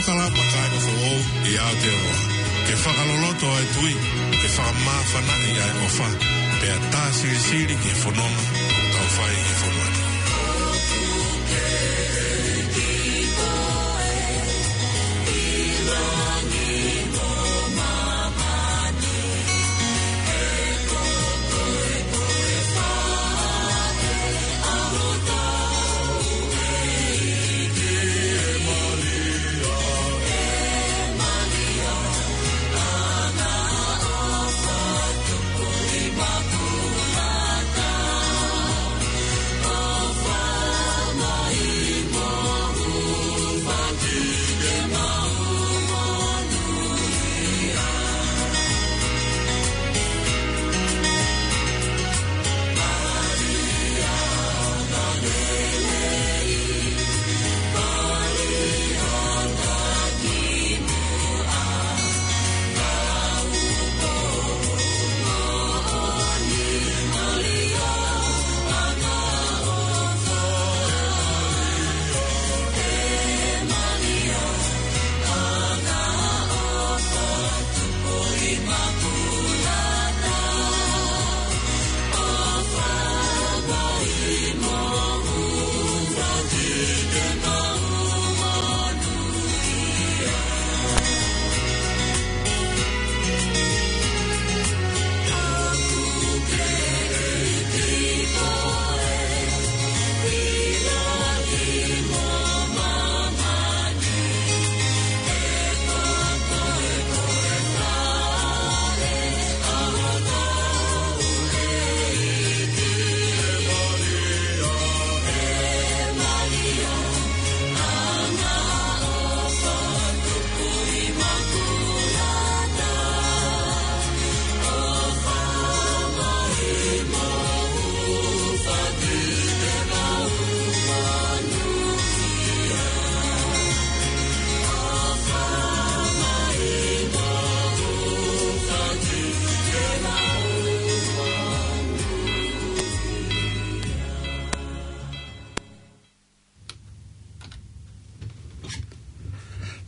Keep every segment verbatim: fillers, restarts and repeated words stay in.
Kalama kae foʻou ʻi Aotearoa. Ke fakaloloto ʻa e tui, ke fakamāfanaʻi ʻa e ʻofa, pea tā silisili ki he fononga ʻoku tau fai ʻi he fonua ni.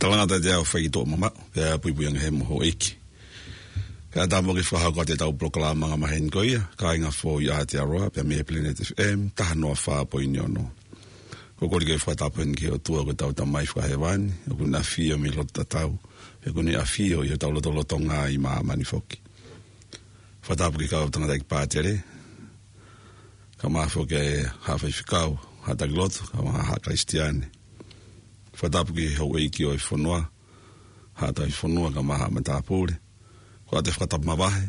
Talangata te au fai ki toʻo mama, pea puipui ange he moho eiki. Ka ta mo ke fakahoko atu ʻetau polokalama anga maheni ko ia, Kāinga Foʻou ʻi Aotearoa, pea mei he Planet F M, taha noa fā poini ono. Ko e kole ke fakatapu heni ki he ʻOtua ko ʻetau Tamai fakahēvani, ʻoku ne ʻafio mei loto tatau, pea ʻoku ne ʻafio ʻi hotau lotolotonga ʻi māmani foki. Fakatapu ki he kau tangataʻeiki pātele, kae ʻumaʻā foki e haʻa faifekau, haʻa taki lotu, kae ʻumaʻā haʻa Kalisitiane. Fakatapu ki he houʻeiki ʻo e fonua, haʻa tauhi fonua, kae ʻumaʻā haʻa matāpule. Ko ʻete fakatapu mavahe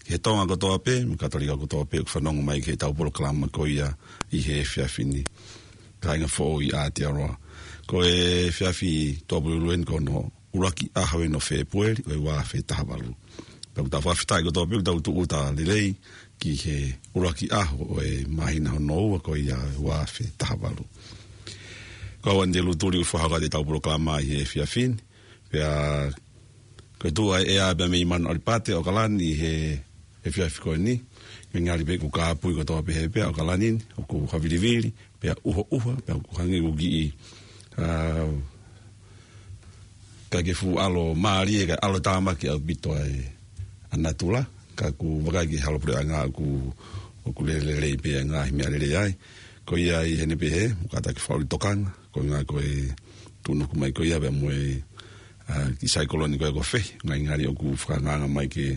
ki he Tonga kotoa pē, mo e Katolika kotoa pē, ʻoku fanongo mai ki heʻetau polokalama ko ia ʻi he efiafi ni. Kāinga Foʻou ʻi Aotearoa. Ko e efiafi Tuʻapulelulu eni ko hono ʻuluaki ʻaho eni ʻo Fēpueli, ʻo e ua afe taha valu. Pea ʻoku tau fakafetaʻi kotoa pē ʻoku tau tūʻuta lelei ki he ʻuluaki ʻaho ʻo e māhina hono ua ko ia ʻo e ua afe taha valu. Ko au Anite Lutuli ʻoku fakahoko atu ʻetau polokalama ʻi he efiafi ni. Pea ko e tuʻu ʻa e ʻea pea mei Manu ʻAlipate ʻAokalani ʻi he efiafi ko eni. Ko e ngali pē ʻoku kāpui kotoa pē he pea ʻAokalani ni, ʻoku havilivili, pea ʻuhoʻuha, pea ʻoku hangē ʻoku kiʻi, ā, ka ke fuʻu ʻalo mālie, ka ʻalo tāmaki ʻaupito ʻa e ʻa natula, ka ʻoku vakai ki he halopuleʻanga ʻoku, ʻoku lelei pē ʻa e ngaahi meʻalele ai. Ko ia ʻi heʻene pehē, mo kātaki fakaʻuli tokanga, ko e ngaahi ko e tuʻunuku mai ko ia pea mo e, ā, kiʻi saikolone ko ia ko Fei, ngaahi ngali ʻoku fakaangaanga mai ke,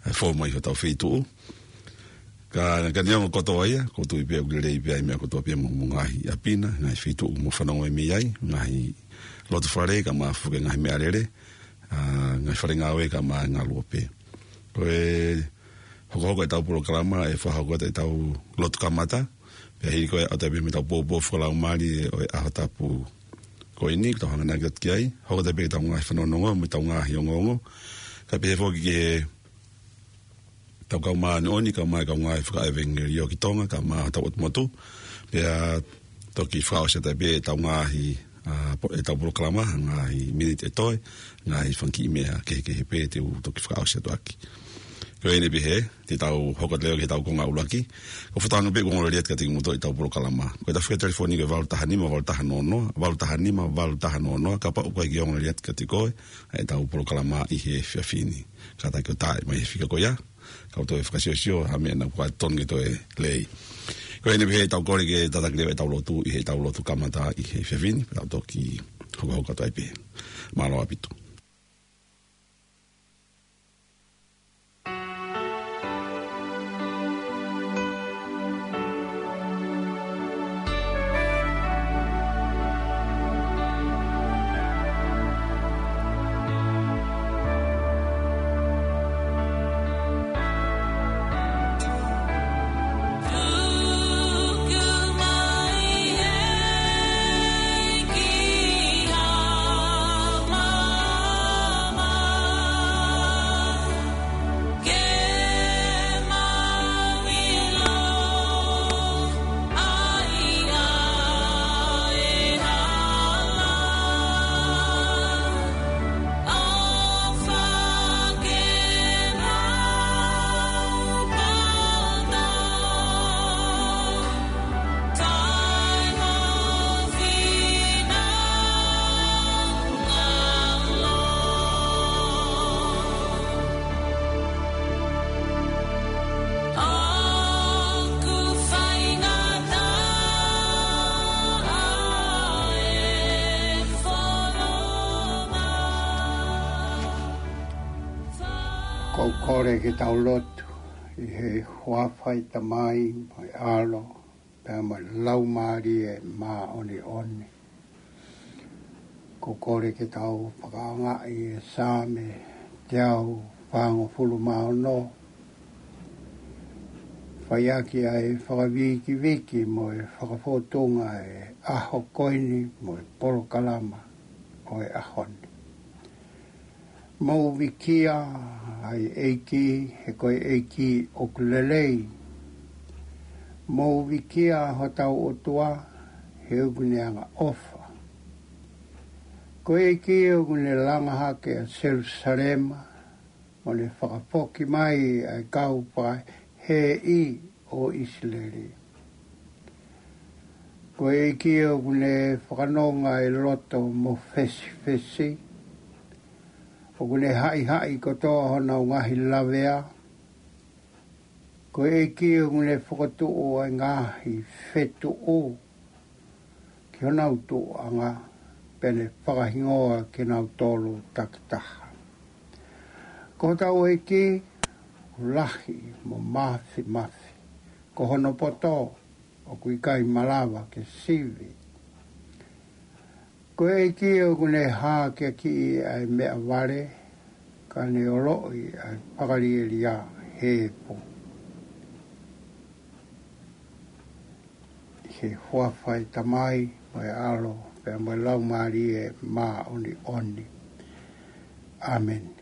ā, fou mai hotau feituʻu. Ka, ka neongo kotoa ia, ʻoku ou tui pē ʻoku lelei pē ʻa e meʻa kotoa pē mo, mo e ngaahi ʻapi na, ngaahi feituʻu ʻoku mou fanongo mei ai, ngaahi loto fale, kae ʻumaʻā foki e ngaahi meʻalele, ā, ngaahi fale ngāue kae ʻumaʻā e ngaluope. Ko e hokohoko ʻetau polokalama, ʻe fakahoko atu ʻetau lotu kamata, pea hili ko ia ʻoatu pē mo ʻetau poupou fakalaumālie ʻo e ʻaho tapu ko eni, ʻoku tau hanganaki atu ki ai, hoko atu pē ʻetau ngaahi fanongonongo, mo ʻetau ngaahi ongoongo, kae pehē foki ki he ʻetau kau māʻoniʻoni, kae ʻumaʻā e kau ngāue fakaʻevangeliō ki Tonga, kae ʻumaʻā hotau ʻotu motu. Pea toki fakaʻosi atu pē ʻetau ngaahi, ā, po-, ʻetau polokalama, ngaahi miniti ʻe toe, ngaahi fanga kiʻi meʻa kehekehe pē te u toki fakaʻosi atu ʻaki. Ko ʻeni pē, te tau hoko atu leva ki heʻetau konga ʻuluaki. Ko e fakatauange pē ʻoku ongoongolelei atu kiate kimoutolu ʻetau polokalama. Ko ʻetau fika telefoni ko e valu taha nima, valu taha noa noa, valu taha nima, valu taha noa noa, kapau ʻoku ʻikai ke ongoongolelei atu kiate koe ʻetau polokalama ʻi he efiafi ni. Kātaki ʻo tā mai he fika ko ia, kau toe fakasiosio ha meʻa naʻa kuo totonu ke toe lelei. Ko ʻeni pē, tau kole ke tataki leva ʻetau lotu ʻi heʻetau lotu kamata ʻi he efiafi ni, pea tau toki hokohoko atu ai pē. Mālō ʻaupito. Ko e kole ke tau lotu. ʻI he huafa ʻo e Tamai, mo e ʻAlo, pea mo e Laumālie Māʻoniʻoni. Ko e kole ke tau fakaʻaongaʻi e Saame teau fāngofulu mā ono. Fai ʻaki ʻa e fakavīkiviki mo e fakafōtunga e ʻaho ko eni mo e polokalama ʻo e ʻaho ni. Mou vikia ʻa e ʻEiki, he ko e ʻEiki ʻoku lelei. Mou vikia hotau ʻOtua, he ʻoku ne angaʻofa. Ko e ʻEiki ʻoku ne langa hake ʻa Selusalema, mo ne fakafoki mai ʻa e kau fakahēʻi ʻo ʻIsileli. Ko e ʻEiki ʻoku ne fakanonga e loto mofesifesi, ʻoku ne haʻihaʻi kotoa honau ngaahi lavea. Ko e ʻEiki ʻoku ne fokotuʻu ʻa e ngaahi fetuʻu ki honau tuʻuʻanga, pea ne fakahingoa kinautolu takitaha. Ko hotau ʻEiki ʻoku lahi mo māfimafi, ko hono poto ʻoku ʻikai malava ke sivi. Ko e ʻEiki ʻoku ne hākeakiʻi ʻa e meʻavale, ka ne ʻoloʻi ʻa e fakalielia hepo. ʻI he huafa ʻo e Tamai, mo e ʻAlo, pea mo e Laumālie Māʻoniʻoni. ʻĀmeni.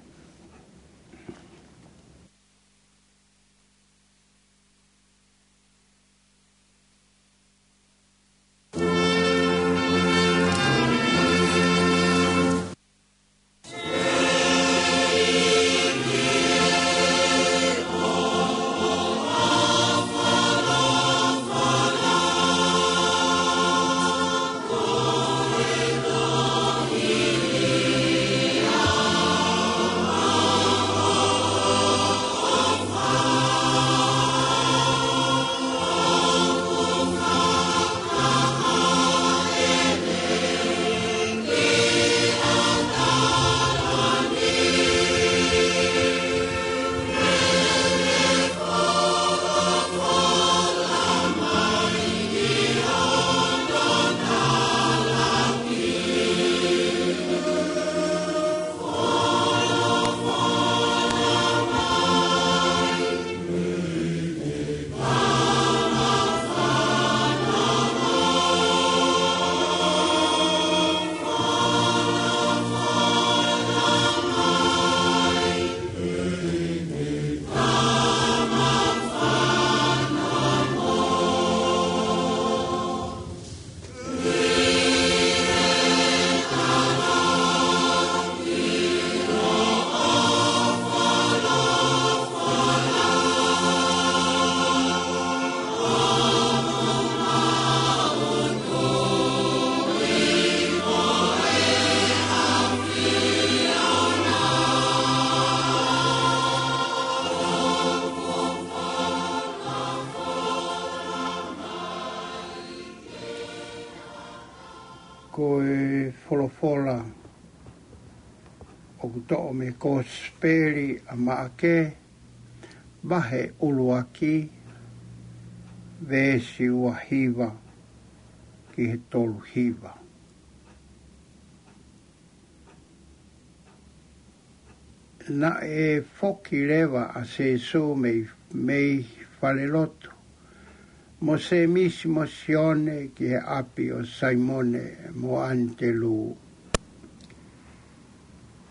folofola ʻoku toʻo mei he Kosipeli ʻa Maʻake, vahe ʻuluaki, veesi ua hiva ki he tolu hiva. Naʻe foki leva ʻa Sēsū mei, mei falelotu, mo Sēmisi mo Sione ki he ʻapi ʻo Saimone mo ʻAnitelū.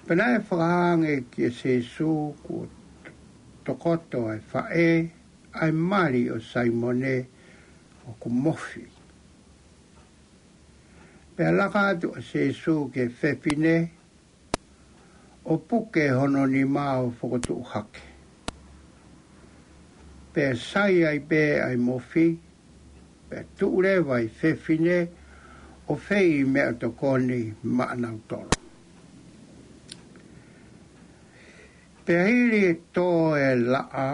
Pea naʻe fakahā ange kia Sēsū kuo tokoto ʻa e faʻē, ʻa e mali ʻo Saimone ʻoku mofi. Pea laka atu ʻa Sēsū ki he fefine, ʻo puke hono nima ʻo fokotuʻu hake. Pea sai ai pē ʻa e mofi, pea tuʻu leva ʻa e fefine ʻo fei meʻatokoni maʻanautolu. Pea hili e tō e laʻā,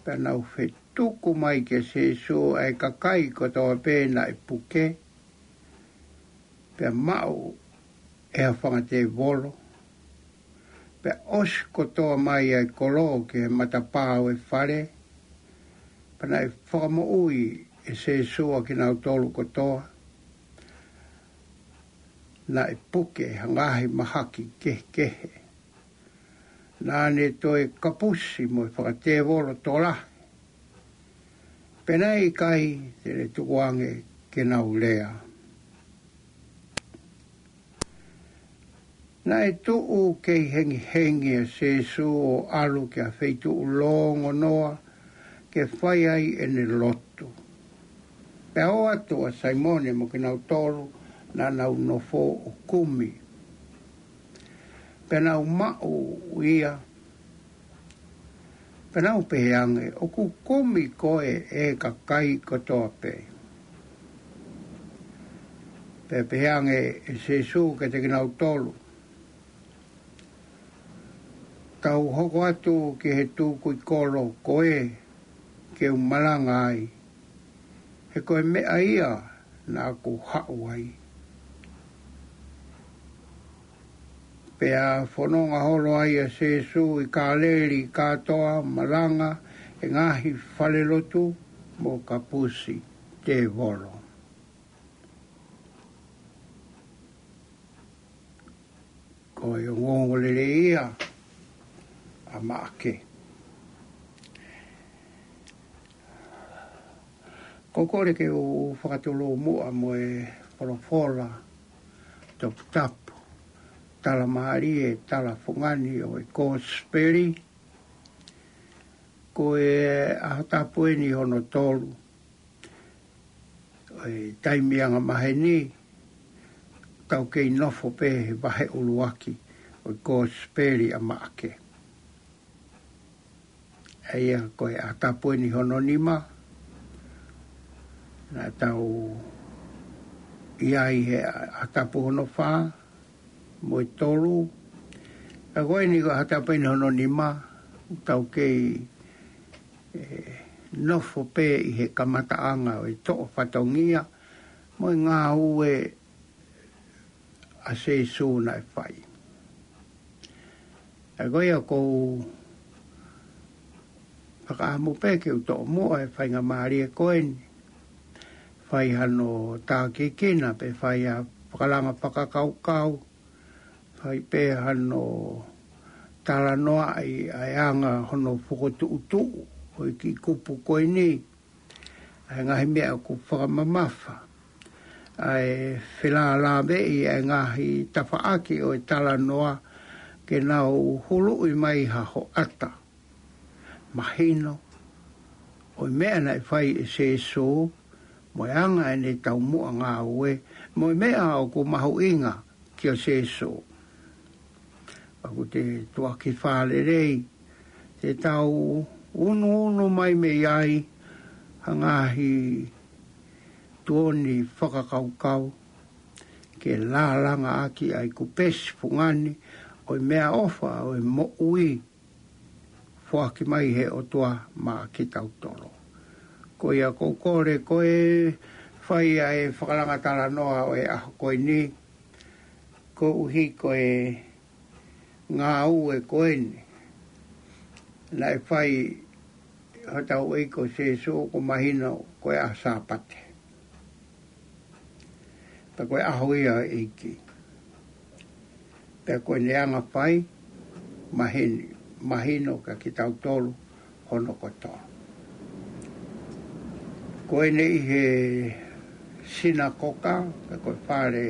pea nau fetuku mai kia Sēsū ʻa e kakai kotoa pē naʻe puke, pea maʻu ʻe ha fanga tēvolo, pea ʻosi kotoa mai ʻa e kolo ki he matapā ʻo e fale, pea naʻe fakamoʻui ʻe Sēsū ʻa kinautolu kotoa naʻe puke ʻe ha ngaahi mahaki kehekehe. Naʻa ne toe kapusi mo e fanga tēvolo tokolahi, pea naʻe ʻikai te ne tukuange ke nau lea. Naʻe tuʻu kei hengihengi ʻa Sēsū ʻo ʻalu ki ha feituʻu longonoa ke fai ai ʻene lotu. Pea ō atu ʻa Saimone mo kinautolu naʻa nau nofo ʻo kumi. Pea nau maʻu ia, pea nau pehē ange, ʻOku kumi koe ʻe he kakai kotoa pē. Pea pehē ange ʻe Sēsū kiate kinautolu, Tau hoko atu ki he tukui kolo ko ē ke u malanga ai, he ko e meʻa ia naʻa ku haʻu ai. Pea fononga holo ai ʻa Sēsū ʻi Kāleli kātoa, malanga ʻi he ngaahi falelotu mo kapusi tēvolo. Ko e ongoongolelei ia ʻa Maʻake. Ko e kole ke u fakatulou muʻa mo e folofola toputapu, tala mālie, tala fungani ʻo e Kosipeli. Ko e ʻaho tapu eni hono tolu ʻo e taimi anga maheni, tau kei nofo pē he vahe ʻuluaki ʻo e Kosipeli ʻa Maʻake. ʻA ia ko e ʻaho tapu eni hono nima, naʻa tau ʻi ai he ʻaho tapu hono fā mo e tolu. Ka ko eni ko e ʻaho tapu eni hono nima, tau kei, ē, nofo pē ʻi he kamataʻanga ʻo e toʻo fatongia mo e ngāue ʻa Sēsū naʻe fai. ʻA ia ko ia ʻoku ou fakaʻamu pē ke u toʻo muʻa e faingamālie ko eni, fai hano tākiekina pe fai ha fakalanga fakakaukau, fai pē hano talanoaʻi ʻa e anga hono fokotuʻutuʻu ʻo e kiʻi kupu ko eni, ʻa e ngaahi meʻa ʻoku fakamamafa, ʻa e felālāveʻi ʻa e ngaahi tafaʻaki ʻo e talanoa ke nau huluʻi mai ha hoʻata mahino ʻo e meʻa naʻe fai ʻe Sēsū, mo e anga ʻene taumuʻa ngāue, mo e meʻa ʻoku mahuʻinga kia Sēsū. ʻOku te tuʻaki fālelei, te tau unuunu mai mei ai ha ngaahi tuoni fakakaukau, ke lālanga ʻaki ʻa e kupesi fungani ʻo e meʻaʻofa ʻo e moʻui foaki mai he ʻOtua maʻa kitautolu. Ko ia ʻoku ou kole ko e fai ʻa e fakalanga talanoa ʻo e ʻaho ko eni, Koeʻuhi ko e ngāue ko eni naʻe fai ʻe hotau ʻEiki ko Sīsū, ʻoku mahino ko e ʻaho Sāpate, pea ko e ʻaho ia ʻo e ʻEiki. Pea ko ʻene anga fai, mahino, mahino kia kitautolu hono kotoa. Ko ʻene ʻi he sinakoka, pe ko e fale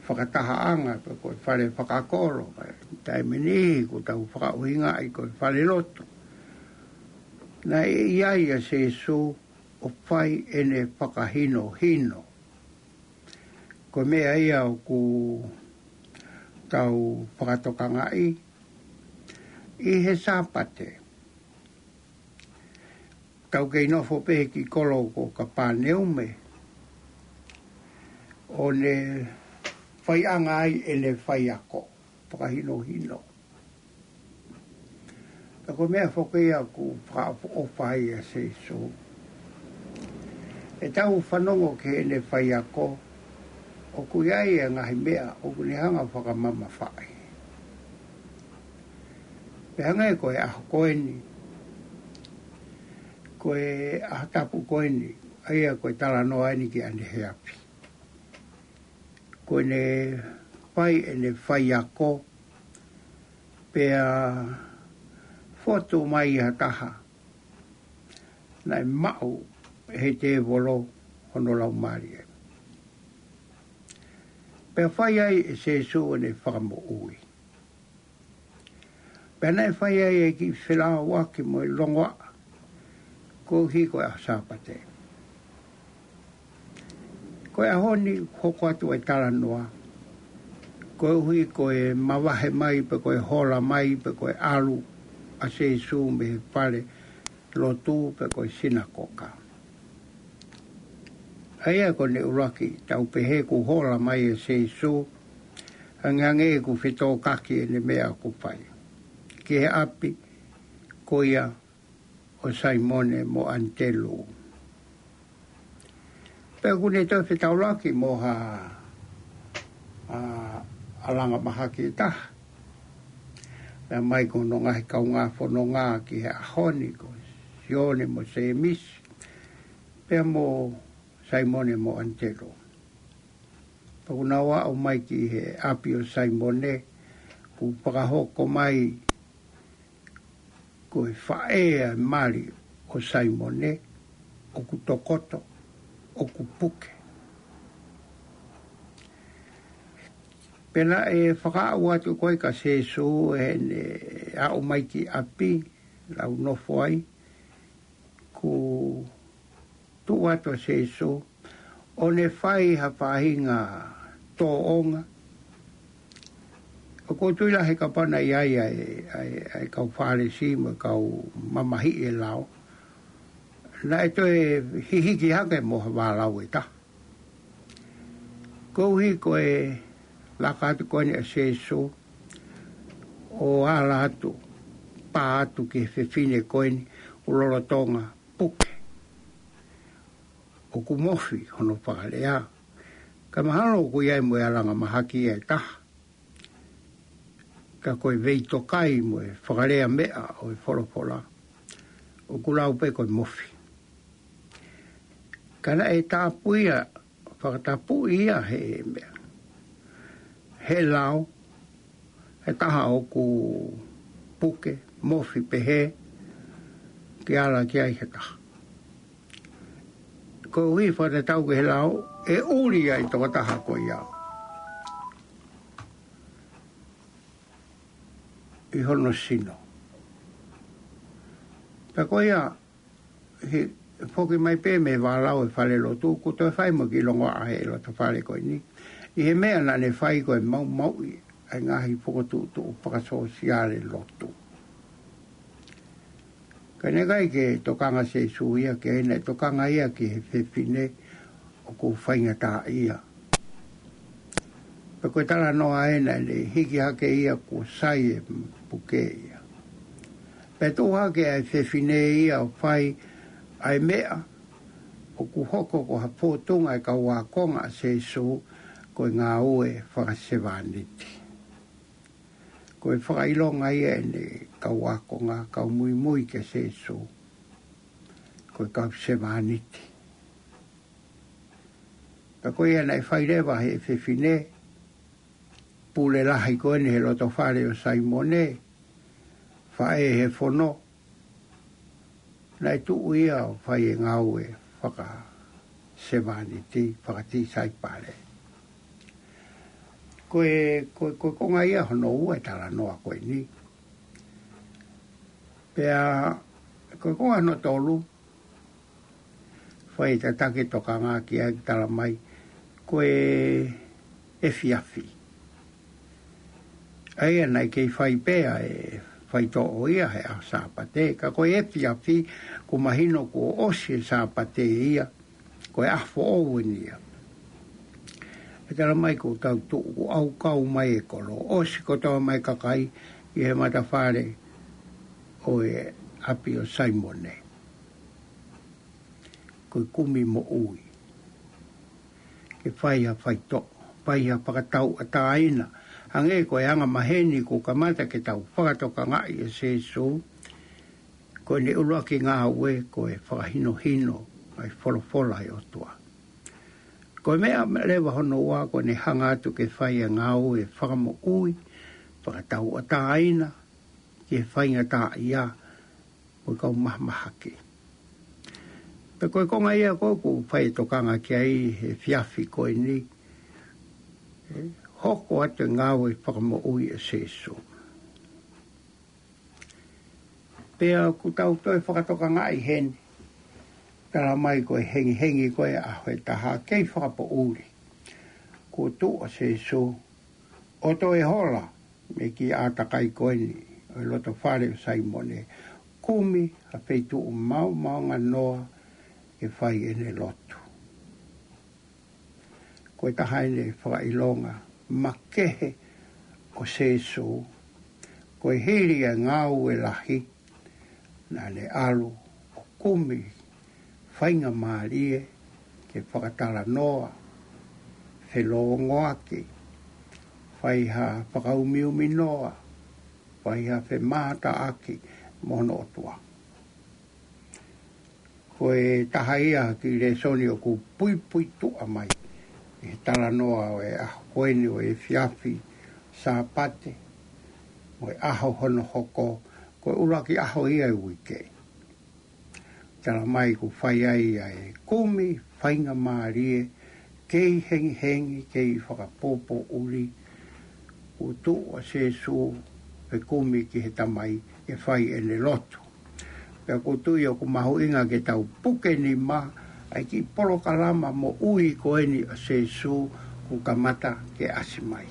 fakatahaʻanga, pe ko e fale fakakolo, pe taimi ʻe niʻihi ʻoku tau fakaʻuhingaʻi ko e falelotu. Naʻe ʻi ai ʻa Sīsū ʻo fai ʻene fakahinohino. Ko e meʻa ia ʻoku tau fakatokangaʻi ʻi he Sāpate. Tau kei nofo pē ki he kolo ko Kapāneume, ʻo ne faiʻanga ai ʻene faiako, fakahinohino. Ka ko e meʻa foki ia ʻoku fakaʻofoʻofa ai ʻa Sīsū. ʻE tau fanongo ki heʻene faiako, ʻoku ʻi ai e ngaahi meʻa ʻoku ne hanga fakamamafaʻi. Pea hangē ko e ʻaho ko eni, ko e ʻaho tapu ko eni, ʻa ia ko e talanoa eni ki ʻaneheapi. Ko ʻene fai ʻene faiako, pea fotu mai ha taha naʻe maʻu ʻe he tēvolo hono laumālie. Pea fai ai ʻe Sīsū ʻene fakamoʻui. Pea naʻe fai ai e kiʻi felāuaki mo e longoaʻa, koeʻuhi ko e ʻaho Sāpate. Ko e ʻaho ni hoko atu e talanoa, koeʻuhi ko e mavahe mai, pe ko e hola mai, pe ko e ʻalu ʻa Sīsū mei he falelotu, pe ko e sinakoka. ʻA ia ko ʻene ʻuluaki, tau pehē kuo hola mai ʻa Sīsū, angeange kuo fetōkaki ʻene meʻa ʻoku fai, ki he ʻapi ko ia ʻo Saimone mo ʻAnitelū. Pea ʻoku ne toe fetaulaki mo ha, ʻa, ʻalanga mahaki ʻe taha. Pea mai ko hono ngaahi kaungā fononga ki he ʻaho ni ko Sione mo Sēmisi, pea mo Saimone mo ʻAnitelū. Pea ʻoku nau aʻu mai ki he ʻapi ʻo Saimone, kuo fakahoko mai ko e faʻē ʻa e mali ʻo Saimone, ʻoku tokoto, ʻoku puke. Pea naʻe fakaaʻu atu ko ē kia Sīsū ʻi heʻene aʻu mai ki ʻapi, lau nofo ai, kuo tuʻu atu ʻa Sīsū, ʻo ne fai ha faʻahinga tōʻonga. ʻOku ou tui lahi kapau naʻe ʻi ai ʻa e, ʻa e, ʻa e kau Fālesi mo e kau mamahiʻi e lao, naʻe toe hihiki hake mo ha vālau ʻe taha. Koeʻuhi ko e laka atu ko eni ʻa Sīsū, ʻo ala atu, pā atu ki he fefine ko eni, ʻoku lolotonga puke, ʻoku mofi hono fakalea. Ka mahalo ʻoku ʻi ai mo e ʻalanga mahaki ia ʻe taha. Ka ko e veitokai mo e fakalea meʻa ʻo e folofola, ʻoku lau pē ko e mofi. Ka naʻe tāpui ia, fakatapui ia he meʻa, he lao, he taha ʻoku puke, mofi pehē, ke ala ki ai he taha. Koeʻuhi fakatatau ki he lao, ʻe ʻuli ai tokotaha ko ia ʻi hono sino. Pea ko ia, he foki mai pē mei he vālau ʻo e falelotu, kuo toe fai mo e kiʻi longoaʻa he loto fale ko eni. ʻI he meʻa naʻa ne fai ko e maumauʻi ʻa e ngaahi fokotuʻutuʻu fakasōsiale lotu. Ka naʻe ʻikai ke tokanga ʻa Sīsū ia ki ai, naʻe tokanga ia ki he fefine ʻoku faingataʻaʻia. Pea ko e talanoa ē naʻa ne hiki hake ia kuo sai e puke ia. Pea tuʻu hake ʻa e fefine ia ʻo fai ʻa e meʻa ʻoku hoko ko ha fōtunga ʻa e kau ākonga ʻa Sīsū, Ko e ngāue fakasevāniti. Ko e fakaʻilonga ia ʻene kau ākonga, kau muimui kia Sēsū, ko e kau sevāniti. Ka ko ia naʻe fai leva he fefine pule lahi ko eni he loto fale ʻo Saimone, faʻē he fono, naʻe tuʻu ia ʻo fai e ngāue fakasevāniti, fakatisaipale. Ko e, ko e, ko e konga ia hono ua e talanoa ko eni. Pea, ko e konga hono tolu, fai tataki tokanga ki ai, talamai, ko e efiafi. ʻA ia naʻe kei fai pea e faitoʻo ia he ʻaho Sāpate, ka ko e efiafi, kuo mahino kuo ʻosi e Sāpate ia, ko e ʻaho foʻou eni ia. ʻE talamai ko e tau tuʻu, kuo ʻaukau mai e kolo, ʻosi kotoa mai kakai ʻi he matafale ʻo e ʻapi ʻo Saimone. Ko e kumi moʻui. Ke fai ha faitoʻo, fai ha fakatauʻatāina. Hangē ko e anga maheni kuo kamata ke tau fakatokangaʻi ʻa Sēsū, ko ʻene ʻuluaki ngāue ko e fakahinohino ʻa e folofola ʻa e ʻOtua. Ko e meʻa leva hono ua ko ʻene hanga atu ke fai e ngāue fakamoʻui, fakatauʻatāina, ki he faingataʻaʻia, mo e kau mahamahaki. Pea ko e konga ia ko ē ʻoku fai e tokanga ki ai he efiafi ko eni, ʻe hoko atu e ngāue fakamoʻui ʻa Sēsū. Pea ʻoku tau toe fakatokangaʻi heni, talamai ko e hengihengi ko ē ʻaho ʻe taha kei fakapoʻuli. Kuo tuʻu ʻa Sēsū, ʻo toe hola mei he kiʻi ʻātakai ko eni ʻo e loto fale ʻo Saimone, kumi ha feituʻu maomaonganoa noa ke fai ʻene lotu. Ko e taha eni e fakaʻilonga makehe ʻo Sēsū, ko e hili e ngāue lahi, naʻa ne ʻalu ʻo kumi faingamālie ke fakatalanoa, felōngoaki, fai ha fakaumiuminoa, fai ha femātaaki mo hono ʻOtua. Ko e taha ia ha kiʻi lēsoni ʻoku puipuituʻa mai ʻi he talanoa ʻo e ʻaho ko eni ʻo e efiafi Sāpate, mo e ʻaho hono hoko, ko e ʻuluaki ʻaho ia e uike. Talamai kuo fai ai ʻa e kumi faingamālie, kei hengihengi, kei fakapoʻuli, kuo tuʻu ʻa Sēsū ʻo fekumi ki he Tamai ke fai ʻene lotu. Pea ʻoku ou tui ʻoku mahuʻinga ke tau puke nima ʻa e kiʻi polokalama moʻui ko eni ʻa Sēsū kuo kamata ke ʻasi mai.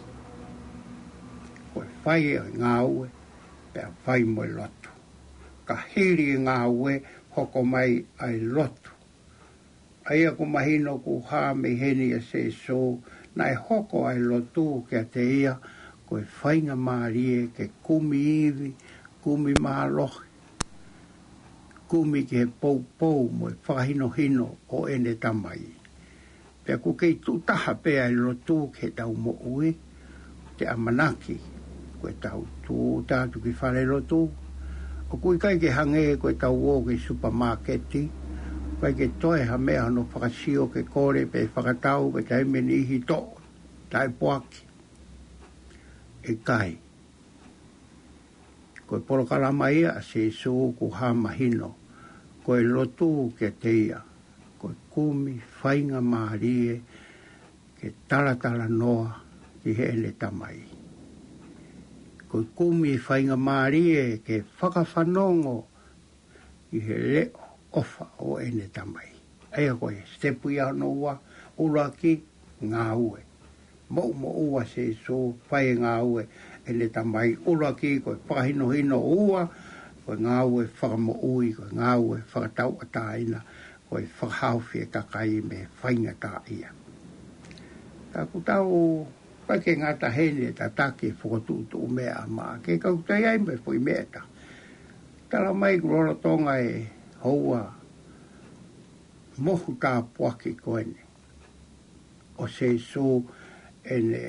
Ko e fai ʻa e ngāue, pea fai mo e lotu. Ka hili e ngāue, hoko mai ʻa e lotu. ʻA ia ʻoku mahino kuo hā mei heni ʻa Sēsū, naʻe hoko ʻa e lotu kiate ia ko e faingamālie ke kumi ivi, kumi mālohi, kumi ki he poupou mo e fakahinohino ʻo ʻene Tamai. Pea ʻoku kei tuʻu taha pē ʻa e lotu ki heʻetau moʻui, te ʻamanaki, ko ʻetau tūʻuta atu ki fale lotu, ʻoku ʻikai ke hangē ko ʻetau ō ki he supamāketi, ʻikai ke toe ha meʻa hono fakasio ke kole pe fakatau, ko e taimi ʻe niʻihi toʻo, taʻepoaki. ʻIkai. Ko e polokalama ia ʻa Sēsū kuo hā mahino, ko e lotu kiate ia, ko e kumi faingamālie ke talatalanoa ki heʻene Tamai. Ko e kumi faingamālie ke fakafanongo ki he leʻo ʻofa ʻo ʻene Tamai. ʻA ia ko e sitepu ia hono ua, ʻuluaki, ngāue. Moʻumoʻua Sēsū, fai e ngāue ʻene Tamai. ʻUluaki ko e fakahinohino, ua ko e ngāue fakamoʻui, ko e ngāue fakatauʻatāina, ko e fakahaofi e kakai mei he faingataʻaʻia. Ka ʻoku tau, ʻikai ke ngata heni e tataki e fokotuʻutuʻu meʻa ʻa Maʻake, ka ʻoku toe ʻi ai mo e foʻi meʻa ʻe taha. Talamai ʻoku lolotonga e houa mohu tāpuaki ko eni ʻo Sēsū, ʻene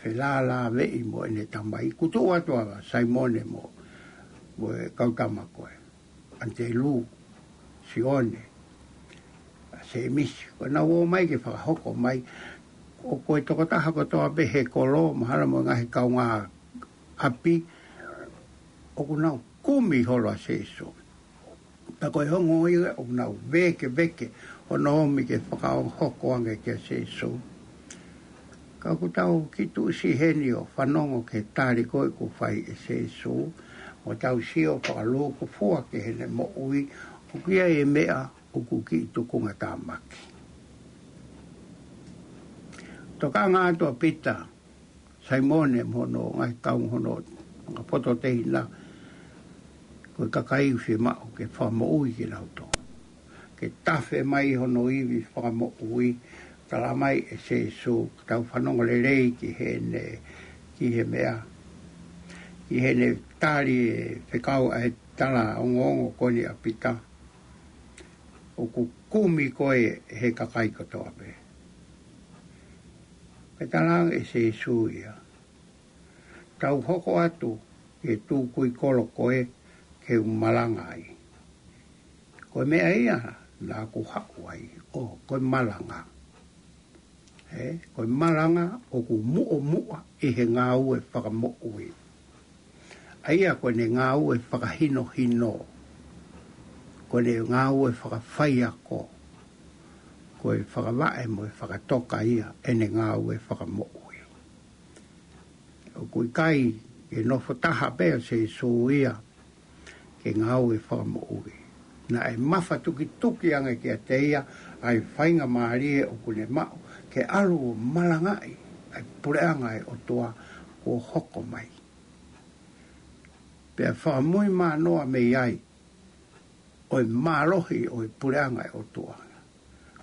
felālāveʻi mo ʻene tamai. Kuo tuʻu atu ʻa Saimone mo, mo e kau tama ko ē, ʻAnitelū, Sione, ʻa Sēmisi, ko ʻenau ō mai ke fakahoko mai. ʻOku ʻi ai e tokotaha kotoa pē he kolo, mahalo mo e ngaahi kaungāʻapi, ʻoku nau kumi holo ʻa Sēsū. Pea ko e ongo ia ʻoku nau vēkeveke hono ōmi ke fakahoko ange kia Sēsū. Ka ʻoku tau kiʻi tuʻusi heni ʻo fanongo ki he tali ko ē kuo fai ʻe Sēsū, mo tau sio fakalūkufua ki heʻene moʻui, ʻoku ʻi ai e meʻa ʻoku kiʻi tukungatāmaki. Tokanga atu ʻa Pita, Saimone mo hono ngaahi kau, hono ngaahi poto tehina, ko e kakai ʻoku fiemaʻu ke fakamoʻui kinautolu, ke tafe mai hono ivi fakamoʻui. Tala mai ʻe Sēsū, tau fanongo lelei ki heʻene, ki he meʻa, ki heʻene tali e fekau ʻa e tala ongoongo ko eni ʻa Pita, ʻoku kumi koe ʻe he kakai kotoa pē. Pea tala ange ʻe Sēsū ia, tau hoko atu ki he tukui kolo ko ē ke u malanga ai. Ko e meʻa ia naʻa ku haʻu ai, ʻo, ko e malanga. Ē, ko e malanga ʻoku muʻomuʻa ʻi he ngāue fakamoʻui. ʻA ia ko ʻene ngāue fakahinohino, ko ʻene ngāue fakafaiako, ko e fakavaʻe mo e fakatoka ia ʻene ngāue fakamoʻui. ʻOku ʻikai ke nofo taha pē ʻa Sēsū ia ke ngāue fakamoʻui. Naʻe mafatukituki ange kiate ia ʻa e faingamālie ʻoku ne maʻu ke ʻalu ʻo malangaʻi ʻa e puleʻanga ʻo e ʻOtua kuo hoko mai. Pea fakamui manoa mei ai ʻo e mālohi ʻo e puleʻanga ʻo e ʻOtua.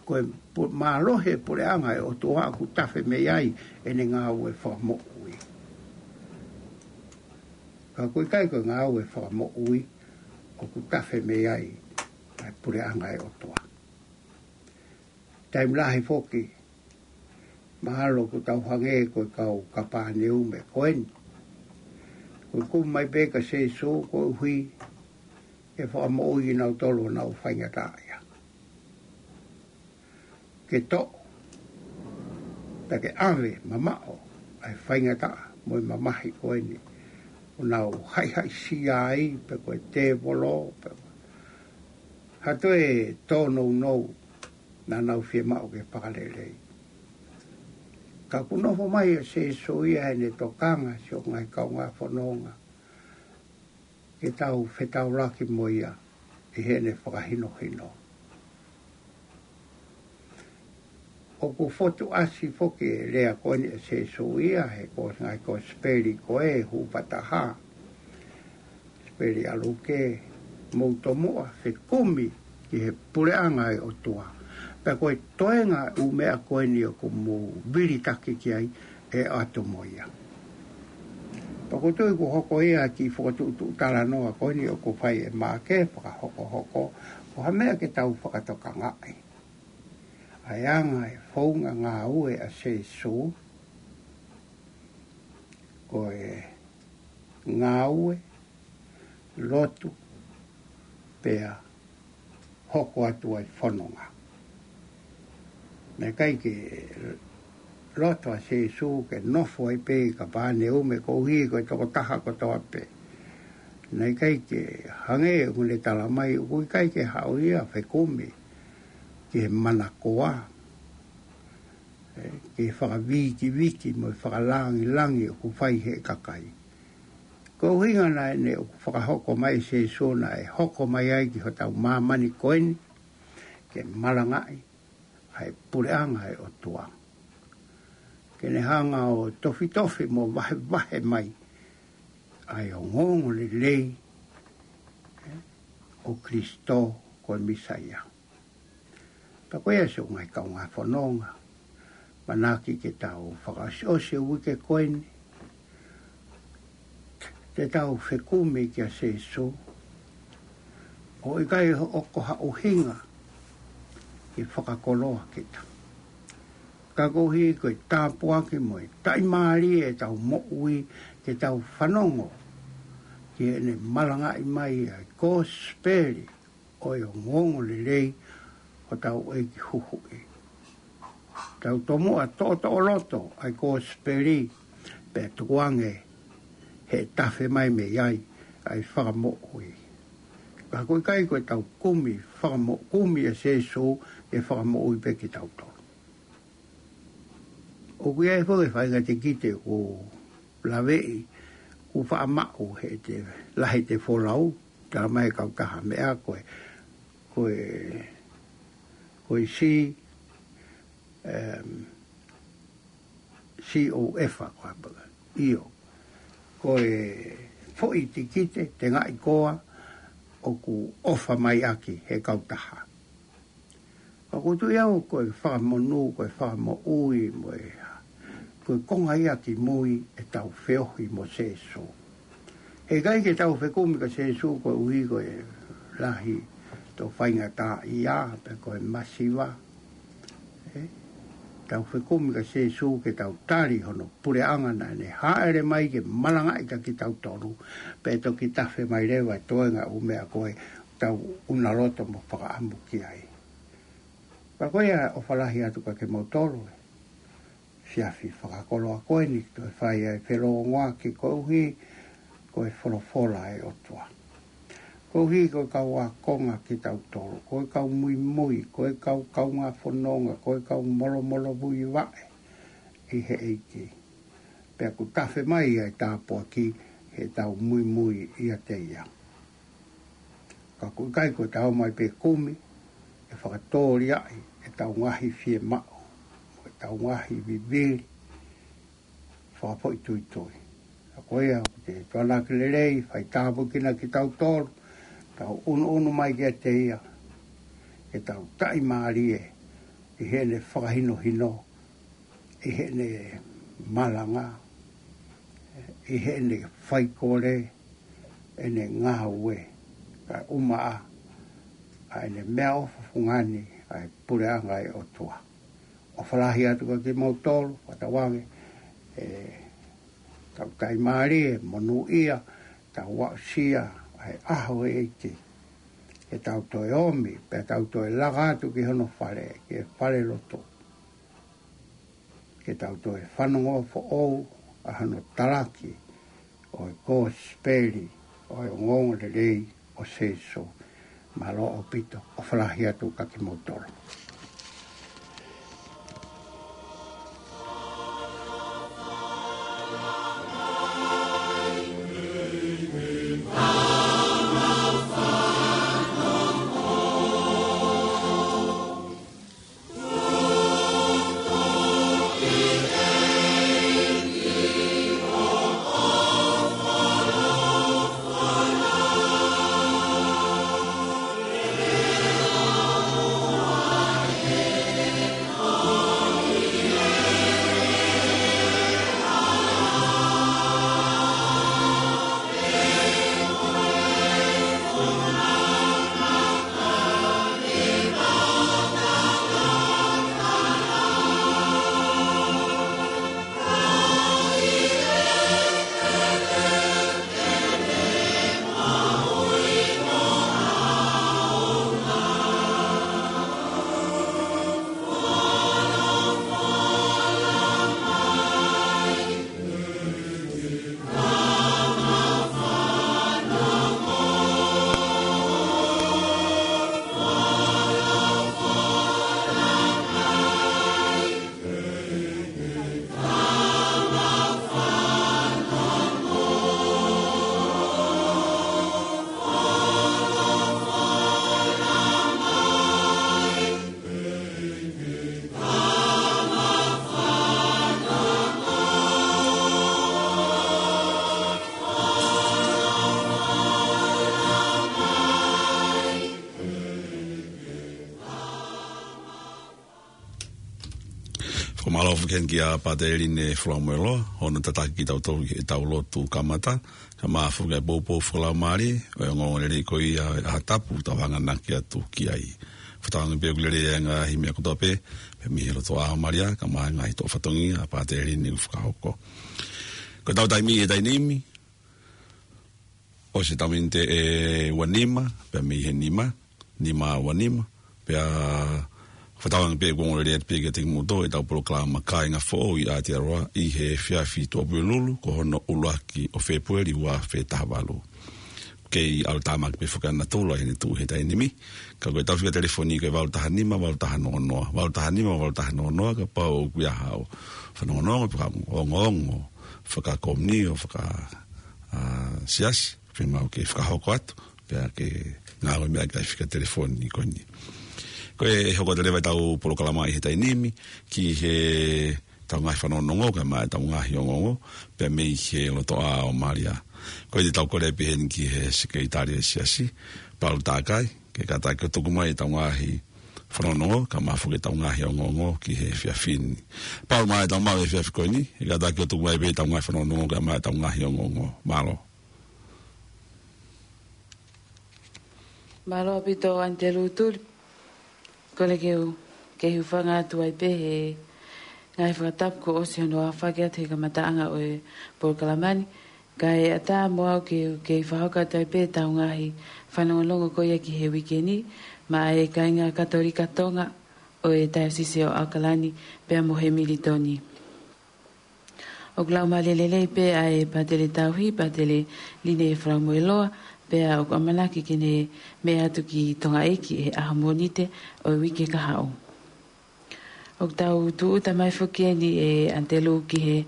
Ko e pu-, mālohi e puleʻanga ʻo e ʻOtua ʻoku tafe mei ai ʻene ngāue fakamoʻui. Ka ʻoku ʻikai ko e ngāue fakamoʻui ʻoku tafe mei ai ʻa e puleʻanga ʻo e ʻOtua. Taimi lahi foki, mahalo ʻoku tau hangē ko e kau Kapāneume ko eni. Ko e kumi mai pē kia Sēsū koeʻuhi ke fakamoʻui kinautolu ʻoku nau faingataʻaʻia. Ke toʻo, pea ke ʻave mamaʻo ʻa e faingataʻa mo e mamahi ko eni ʻoku nau haʻihaʻisia ai, pe ko e tēvolo, pe ko ha toe tōnounou naʻa nau fiemaʻu ke fakalelei. Ka ʻoku nofo mai ʻa Sēsū ia heʻene tokanga siʻo ngaahi kaungā fononga ke tau fetaulaki mo ia ʻi heʻene fakahinohino. ʻOku fotu ʻasi foki e lea ko eni ʻa Sēsū ia he ko e ngaahi kosipeli ko ē, Huʻupa Taha, kosipeli ʻa Luke, mou tomuʻa fekumi ki he puleʻanga ʻo e ʻOtua. Pea ko e toenga ʻū meʻa ko eni ʻoku mou vilitaki ki ai ʻe ʻoatu mo ia. Pea ʻoku ou tui kuo hoko ia ki he fokotuʻutuʻu talanoa ko eni ʻoku fai ʻe Maʻake fakahokohoko, ko ha meʻa ke tau fakatokangaʻi. ʻA e anga e founga ngāue ʻa Sēsū, ko e ngāue, lotu, pea hoko atu ʻa e fononga. Naʻe ʻikai ke loto ʻa Sēsū ke nofo ai pē ʻi Kapāneume koeʻuhi ko e tokotaha kotoa pē. Naʻe ʻikai ke hangē ʻoku ne tala mai ʻoku ʻikai ke haʻu ia fekumi ki he manakoa, ē, ki he fakavikiviki mo e fakalāngilangi ʻoku fai ʻe he kakai. Ko e ʻuhinga naʻe ʻoku fakahoko mai ʻe Sēsū naʻe hoko mai ai ki hotau māmani ko eni, ke malangaʻi ʻa e puleʻanga ʻo e ʻOtua. Ke ne hanga ʻo tofitofi mo vahevahe mai ʻa e ongoongolelei, ē, ʻo Kalaisi ko e Mīsaia. Pea ko ia siʻo ngaahi kaungā fononga, manako ke tau fakaʻosiʻosi e uike ko eni, te tau fekumi kia Sēsū, ʻo ʻikai ʻo ko ha ʻuhinga ke fakakoloa kita. Ka koeʻuhi ko e tāpuaki mo e taʻimālie ʻetau moʻui, ke tau fanongo ki heʻene malangaʻi mai ʻa e kosipeli ʻo e ongoongolelei ʻo hotau ʻEiki Huhuʻi. Tau tomuʻa toʻotoʻo loto ʻa e kosipeli, pea tukuange he tafe mai mei ai ʻa e fakamoʻui. Ka ʻoku ʻikai ko ʻetau kumi fakamo-, kumi ʻa Sēsū ke fakamoʻui pē kitautolu. ʻOku ʻi ai foki e faʻahinga tikite ʻoku laveʻi, ʻoku faʻa maʻu he te lahi te folau, tala mai e kautaha meʻa ko e, ko e, ko e C, em, C O F a ko e apa. ʻIo. Ko e foʻi tikite, tengaʻi koa, ʻoku ʻofa mai ʻaki he kautaha. Ka ʻoku ou tui au ko e fakamonū, ko e fakamoʻui mo e, ko e konga ia ki mui ʻetau feohi mo Sēsū. He ʻikai ke tau fekumi kia Sēsū koeʻuhi ko e lahi ʻetau faingataʻaʻia, pe ko e masiva. ʻE, tau fekumi kia Sēsū ke tau tali hono puleʻanga naʻa ne hāʻele mai ke malangaʻi kia kitautolu, pea toki tafe mai leva e toenga ʻū meʻa ko ē ʻoku tau ʻunaloto mo fakaʻamu ki ai. Ka ko ia ʻofa lahi atu kia kimoutolu, efiafi fakakoloa ko eni, toe fai ai felōngoaki koeʻuhi ko e folofola ʻa e ʻOtua. Koeʻuhi ko e kau ākonga kitautolu, ko e kau muimui, ko e kau kaungā fononga, ko e kau molomolo vui vaʻe ʻi he ʻEiki. Pea ʻoku tafe mai ʻa e tāpuaki heʻetau muimui ʻiate ia. Ka ʻoku ʻikai ko ʻetau mai pē kumi, ʻe fakatōliaʻi ʻetau ngaahi fiemaʻu, mo ʻetau ngaahi vivili, fakafoʻituitui. Ka ko ia, ʻoku te tuanaki lelei, fai tāpuekina kitautolu, tau ʻunuʻunu mai kiate ia, ke tau taʻimālie, ʻi heʻene fakahinohino, ʻi heʻene malanga, ʻi heʻene faikole, ʻene ngāue, kae ʻumaʻā ʻa ʻene meʻaʻofa fungani ʻa e puleʻanga ʻo e ʻOtua. ʻOfa lahi atu kia kimoutolu, fakatauange, ʻe tau taʻimālie, monūʻia, tau aʻusia ʻa e ʻaho ʻo e ʻEiki. Ke tau toe ōmi, pea tau toe laka atu ki hono fale, ki he falelotu. Ke tau toe fanongo foʻou ʻa hono talaki ʻo e kosipeli ʻo e ongoongolelei ʻo Sēsū. Mālō ʻaupito, ʻofa lahi atu kia kimoutolu. Mālō foki heni kia Pātele Line Fulamoeloa, hono tataki kitautolu ki heʻetau lotu kamata, kae ʻumaʻā foki e poupou fakalaumālie ʻo e ongoongolelei ko ia ʻa e ʻaho tapu ʻoku tau hanganaki atu ki ai. Fakatauange pē ʻoku lelei e ngaahi meʻa kotoa pē, pea mei he loto ʻa Malia, kae ʻumaʻā e ngaahi toʻo fatongia ʻa Pātele Line ʻoku fakahoko. Ko ʻetau taimi he taimi ni, ʻosi ʻetau miniti ʻe ua nima, pea mei he nima, nima ua nima, pea fakatauange pē ʻoku ongoongolelei atu pē kiate kimoutolu ʻetau polokalama Kāinga Foʻou ʻi Aotearoa ʻi he efiafi Tuʻapulelulu, ko hono ʻuluaki ʻo Fēpueli ua afe taha valu. Kei ʻalu tāmaki pē foki ʻa natula ʻi heʻene tuʻu he taimi ni, ka ko ʻetau fika telefoni ko e valu taha nima, valu taha noa noa, valu taha nima, valu taha noa noa, kapau ʻoku ʻi ai haʻo fanongonongo, fakaongoongo, fakakomiunitī, faka, ā, siasi, fiemaʻu ke fakahoko atu, pea ke ngāue mai ki he fika telefoni ko eni. Ko e hoko atu leva ʻetau polokalama ʻi he taimi ni, ki heʻetau ngaahi fanongonongo, kae ʻumaʻā ʻetau ngaahi ongoongo, pea mei he loto ʻa Malia. Ko ia te tau kole pē heni ki he Sekelitali ʻo e Siasi, Paul Takai, ke kātaki ʻo tuku mai ʻetau ngaahi fanongonongo, kae ʻumaʻā foki ʻetau ngaahi ongoongo ki he efiafi ni. Paul, mālō e tau maʻu e efiafi ko eni, ʻe kātaki ʻo tuku mai pē ʻetau ngaahi fanongonongo, kae ʻumaʻā ʻetau ngaahi ongoongo. Mālō. Mālō ʻaupito ʻAnitelū Tuli. Kole ke u, ke u hūfanga atu ai pē he ngaahi fakatapu kuo ʻosi hono aofaki atu he kamataʻanga ʻo e polokalama ni. Kae ʻatā mo au ke, ke fakahoko atu ai pē ʻetau ngaahi fanongonongo ko ia ki he uike ni, maʻa e kāinga Katolika Tonga ʻo e Taiosisi ʻo ʻAokalani, pea mo Hemilitoni. ʻOku laumālie lelei pē ʻa e Pātele Tauhi, Pātele Line Fulamoeloa, pea ʻoku ʻamanaki ke ne meʻa atu ki Tongaʻeiki he ʻaho Mōnite ʻo e uike kahaʻu. ʻOku tau tūʻuta mai foki eni ʻe ʻAnitelū ki he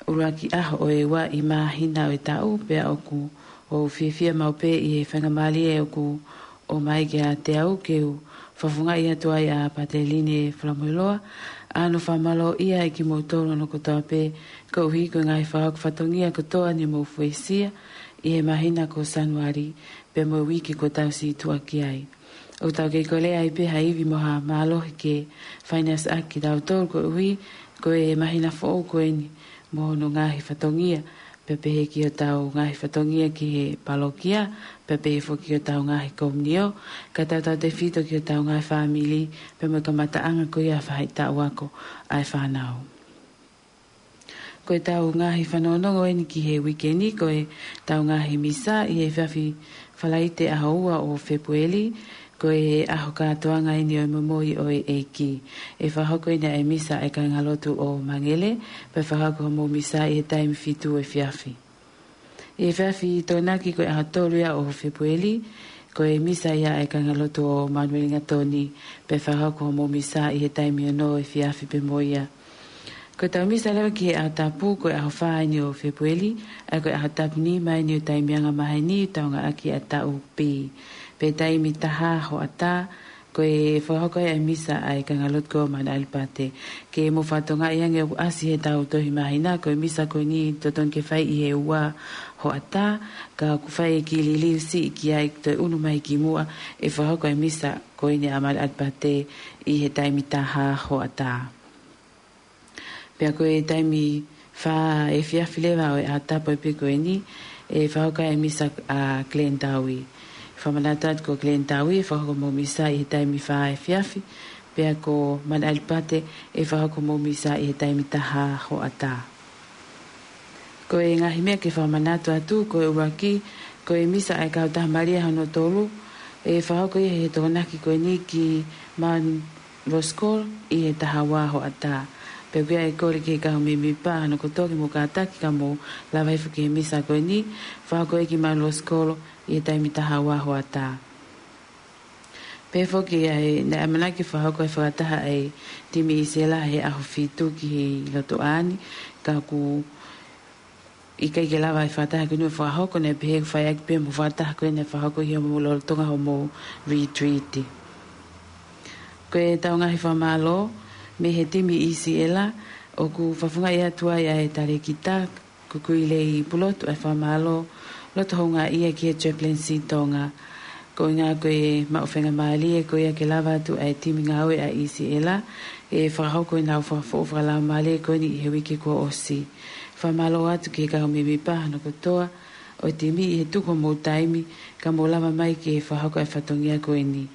ʻuluaki ʻaho ʻo e ua ʻi māhina ʻo e taʻu, pea ʻoku ou fiefia maʻu pē ʻi he faingamālie ʻoku ʻomai kiate au ke u fakafofongaʻi atu ai ʻa Pātele Line Fulamoeloa, ʻa hono fakamālōʻia ʻe kimoutolu hono kotoa pē, koeʻuhi ko e ngaahi fakahoko fatongia kotoa ne mou fuesia ʻi he māhina ko Sānuali, pea mo e uike kuo tau situʻa ki ai. ʻOku tau kei kole ai pē ha ivi mo ha mālohi ke fai ʻaki kitautolu koeʻuhi ko e māhina foʻou ko eni mo hono ngaahi fatongia, pea pehē ki hotau ngaahi fatongia ki he palokia, pea pehē foki ki hotau ngaahi komiunitī, kae tautautefito ki hotau ngaahi fāmili, pea mo e kamataʻanga ko ia faʻahitaʻu ako ʻa e fānau. Ko ʻetau ngaahi fanongonongo eni ki he uike ni, ko ʻetau ngaahi misa ʻi he efiafi Falaite ʻaho ua ʻo Fēpueli, ko e ʻaho kātoanga eni ʻo e momoi ʻo e ʻEiki. ʻE fakahoko eni ʻa e misa ʻa e kāingalotu ʻo Mangele, pea fakahoko hoʻomou misa ʻi he taimi fitu efiafi. ʻI he efiafi Tokonaki ko e ʻaho tolu ia ʻo Fēpueli, ko e misa ia ʻa e kāingalotu ʻo Manueli Ngatoni, pea fakahoko hoʻomou misa ʻi he taimi ono efiafi pē mo ia. Ko ʻetau misa leva ki he ʻaho tapu, ko e ʻaho fā eni ʻo Fēpueli, ʻa ia ko e ʻaho tapu nima eni ʻo e taimi angamaheni, taungaʻaki ʻa e taʻu B. Pea taimi taha hoʻatā, ko e fakahoko ai ʻa e misa ʻa e kāingalotu ko Manu ʻAlipate. Ke mou fakatokangaʻi ange ʻoku ʻasi heʻetau tohi māhina, ko e misa ko eni totonu ke fai ʻi he ua hoʻatā, ka ʻoku fai e kiʻi liliu siʻi ki ai toe ʻunu mai ki muʻa, ʻe fakahoko e misa ko eni ʻa Manu ʻAlipate ʻi he taimi taha hoʻatā. Pea ko e taimi fā efiafi leva ʻo e ʻaho tapu pē ko eni, ʻe fakahoko ai e misa ʻa Glenn Taui. Fakamanatu atu ko Glenn Taui, ʻe fakahoko hoʻomou misa ʻi he taimi fā efiafi, pea ko Manu ʻAlipate, ʻe fakahoko hoʻomou misa ʻi he taimi taha hoʻatā. Ko e ngaahi meʻa ke fakamanatu atu, ko e ʻuluaki, ko e misa ʻa e Kautaha Malia hono tolu, ʻe fakahoko ia he Tokonaki ko eni ki Manu Roskol ʻi he taha ua hoʻatā. Pea ʻoku ʻi ai e kole ki he kau mēmipa hono kotoa ke mou kātaki ka mou lava hifo ki he misa ko eni, fakahoko ia ki Manu Roskol ʻi he taimi taha ua hoʻatā. Pea foki ʻa e, naʻe ʻamanaki fakahoko e fakataha ʻa e timi ʻIsileli he ʻaho fitu ki he lotu ʻaho ni, ka ʻoku ʻikai ke lava e fakataha ko eni ʻo fakahoko, naʻe pehē ʻoku fai ʻaki pē mo e fakataha ko eni ʻe fakahoko ʻi hoʻomou lolotonga hoʻomou retreat. Ko ʻetau ngaahi fakamālō mei he timi ʻIsileli, ʻoku fakafofongaʻi atu ai ʻa e talēkita, ko Kuilei Pulotu, ʻa e fakamālō loto houngaʻia ki he Chaplaincy Tonga. Ko e ʻuhinga ko e maʻu faingamālie ko ia ke lava atu ʻa e timi ngāue ʻa ʻIsiʻela ʻe fakahoko ʻenau fakafoʻou fakalaumālie ko eni ʻi he uike kuo ʻosi. Fakamālō atu ki he kau mēmipa hono kotoa ʻo e timi ʻi he tuku homou taimi ka mou lava mai ke fakahoko ʻa e fatongia ko eni.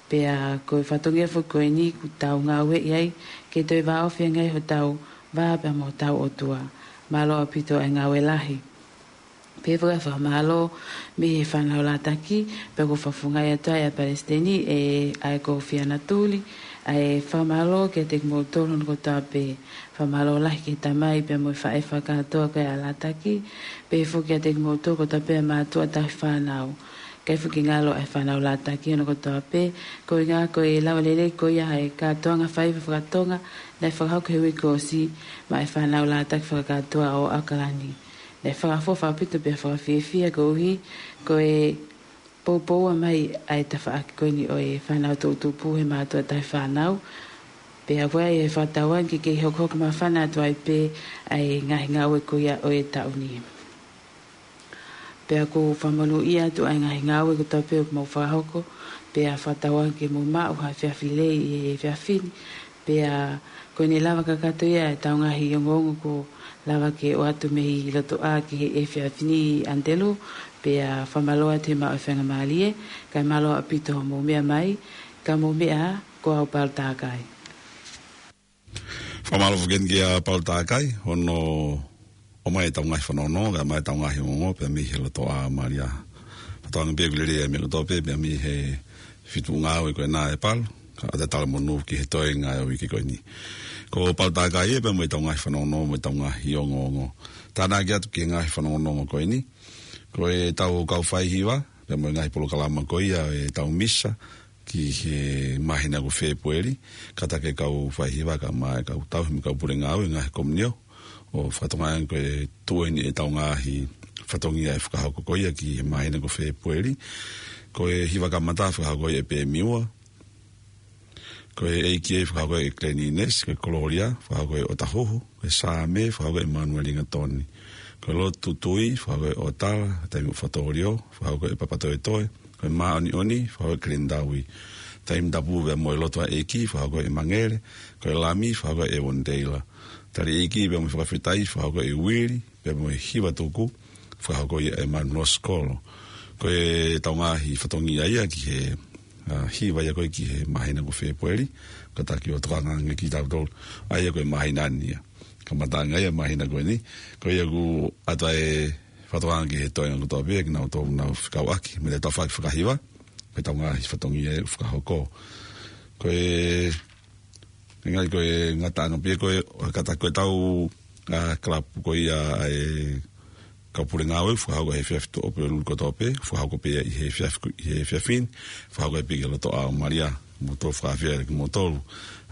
Pea ko e fatongia foki ko eni kuo tau ngāueʻi ai ke toe vāofi ange ai hotau vā pea mo hotau ʻOtua. Mālō ʻaupito ʻa e ngāue lahi. Pea faka-, fakamālō mei he fānau Lātaki, pea ʻoku ou fakafofongaʻi atu ai ʻa Palesiteni ʻe ʻa e ko Fiana Tuli, ʻa e fakamālō kiate kimoutolu hono kotoa pē. Fakamālō lahi ki he tamai pea mo e faʻē fakakātoa ko ia ʻa Lātaki, pea foki kiate kimoutolu kotoa pē ʻa e mātuʻa tauhi fānau. ʻIkai foki ngalo ʻa e fānau Lātaki hono kotoa pē, ko e ʻuhinga ko e lava lelei ko ia ʻa e kātoanga faiva fakatonga naʻe fakahoko he uike kuo ʻosi maʻa e fānau Lātaki fakakātoa ʻo ʻAokalani. Naʻe fakaʻofoʻofa ʻaupito pea fakafiefia koeʻuhi ko e poupou mai ʻa e tafaʻaki ko eni ʻo e fānau toʻutupu he mātuʻa tauhi fānau. Pea ʻoku ʻi ai e fakatauange ke kei hokohoko māfana atu ai pē ʻa e ngaahi ngāue ko ia ʻo e taʻu ni. Pea ʻoku fakamonūʻia atu ʻa e ngaahi ngāue kotoa pē ʻoku mou fakahoko, pea fakatauange ke mou maʻu ha efiafi lelei ʻi he efiafi ni, pea ko ʻene lava kakato ia ʻetau ngaahi ongoongo kuo lava ke ʻoatu mei loto ʻā ki he efiafi ni ʻAnitelū, pea fakamālō atu he maʻu ʻa e faingamālie, kae mālō ʻaupito hoʻomou meʻa mai, ka mou meʻa ā, ko au Paula Takai. Fakamālō foki kia Paula Takai, hono ʻomai ʻetau ngaahi fanongonongo, kae ʻomai ʻetau ngaahi ongoongo, pea mei he loto ʻā Malia. Fakatauange pē ʻoku lelei ʻa e meʻa kotoa pē, pea mei he feituʻu ngāue ko ena ʻe Paula, kae ʻatā e talamonū ki he toenga ʻo e uike ko eni. Ko Paula Takai ē, pea mo ʻetau ngaahi fanongonongo, mo ʻetau ngaahi ongoongo. Tānaki atu ki he ngaahi fanongonongo ko eni. Ko ʻetau kau faihiva, pea mo e ngaahi polokalama ko ia ʻetau misa, ki he māhina ko Fēpueli, kātaki e kau faihiva kae ʻumaʻā e kau tauhi mo e kau pule ngāue ngaahi komiunitī, ʻo fakatokangaʻi ange ko e tuʻu eni ʻetau ngaahi fatongia ʻe fakahoko ko ia ki he māhina ko Fēpueli, ko e hiva kamata fakahoko ʻe Pēmiua, ko e ʻEiki ē fakahoko ʻe Klenines, ko e Kololia fakahoko ʻe ʻOtahuhu, ko e Saame fakahoko ʻe Manueli Ngatoni, ko e Lotu Tui fakahoko ʻe ʻOtala, Taimi ʻo Fatōlio fakahoko ʻe Papatoetoe, ko e Māʻoniʻoni fakahoko ʻe Kelenitaui, Taimi Tapu pea mo e Lotu ʻa e ʻEiki fakahoko ʻe Mangele, ko e Lami fakahoko ʻe Evoniteila, Tali ʻEiki pea mo e Fakafetaʻi fakahoko ʻe Uili, pea mo e Hiva Tuku fakahoko ia ʻe Manuel Sikolo. Ko ʻetau ngaahi fatongia ia ki he, ʻa, hiva ia ko ē ki he māhina ko Fēpueli, kātaki ʻo tokanga ange kitautolu, ʻa ia ko e māhina ni ia. Kamataʻanga ia māhina ko eni, ko ia ʻoku ʻatā e fakatokanga ki he toenga kotoa pē, kinautolu ʻoku nau fekauʻaki mei he tafaʻaki fakahiva, ko ʻetau ngaahi fatongia ʻoku fakahoko. Ko e, ʻikai ko e ngataʻanga pē ko e, kātaki ko ʻetau, ʻa, kalapu ko ia ʻa e kau pule ngāue, fakahoko he efiafi Tuʻapulelulu kotoa pē, fakahoko pē ʻi he efiafi, ʻi he efiafi ni, fakahoko pē ki he loto ʻā Malia, mo tō fakafiefia kimoutolu,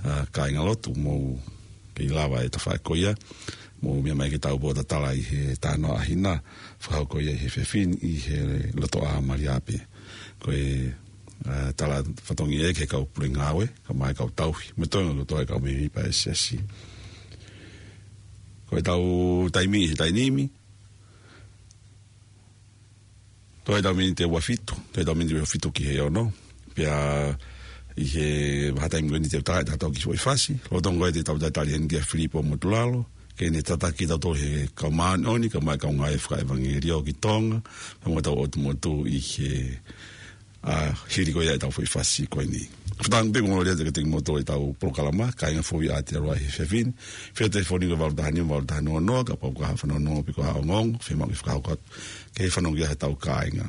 ʻa, kāinga lotu, mou kei lava e tafaʻaki ko ia, mou meʻa mai ke tau pōtatala ʻi he talanoa ʻa Hina, fakahoko ia ʻi he efiafi ni ʻi he loto ʻā Malia pē. Ko e, ʻa, tala fatongia ē ki he kau pule ngāue, kae ʻumaʻā e kau tauhi, mo e toenga kotoa e kau mēmipa ʻa e siasi. Ko ʻetau taimi he taimi ni, toe ʻetau miniti ʻe ua fitu, toe ʻetau miniti ʻe ua fitu ki he ono. Pea ʻi he vahaʻa taimi ko eni te u tā ʻetau kiʻi foʻi fasi. Lolotonga ko ē te tau talitali heni kia Filipo Motulalo, ke ne tataki kitautolu he kau māʻoniʻoni, kae ʻumaʻā e kau ngāue fakaʻevangeliō ki Tonga, pea mo ʻetau ʻotu motu ʻi he, ʻa, hili ko ia ʻetau foʻi fasi ko eni. Fakatauange pē ʻoku mālō lelei atu kiate kimoutolu ʻetau polokalama, Kāinga Fou ʻi ʻAotearoa he efiafi ni. Fetefoni ko e valu taha nima, valu taha noa noa, kapau ʻoku ʻi ai ha fanongonongo pe ko ha ongoongo, fiemaʻu ke fakahoko atu ke fanongo ki ai hotau kāinga.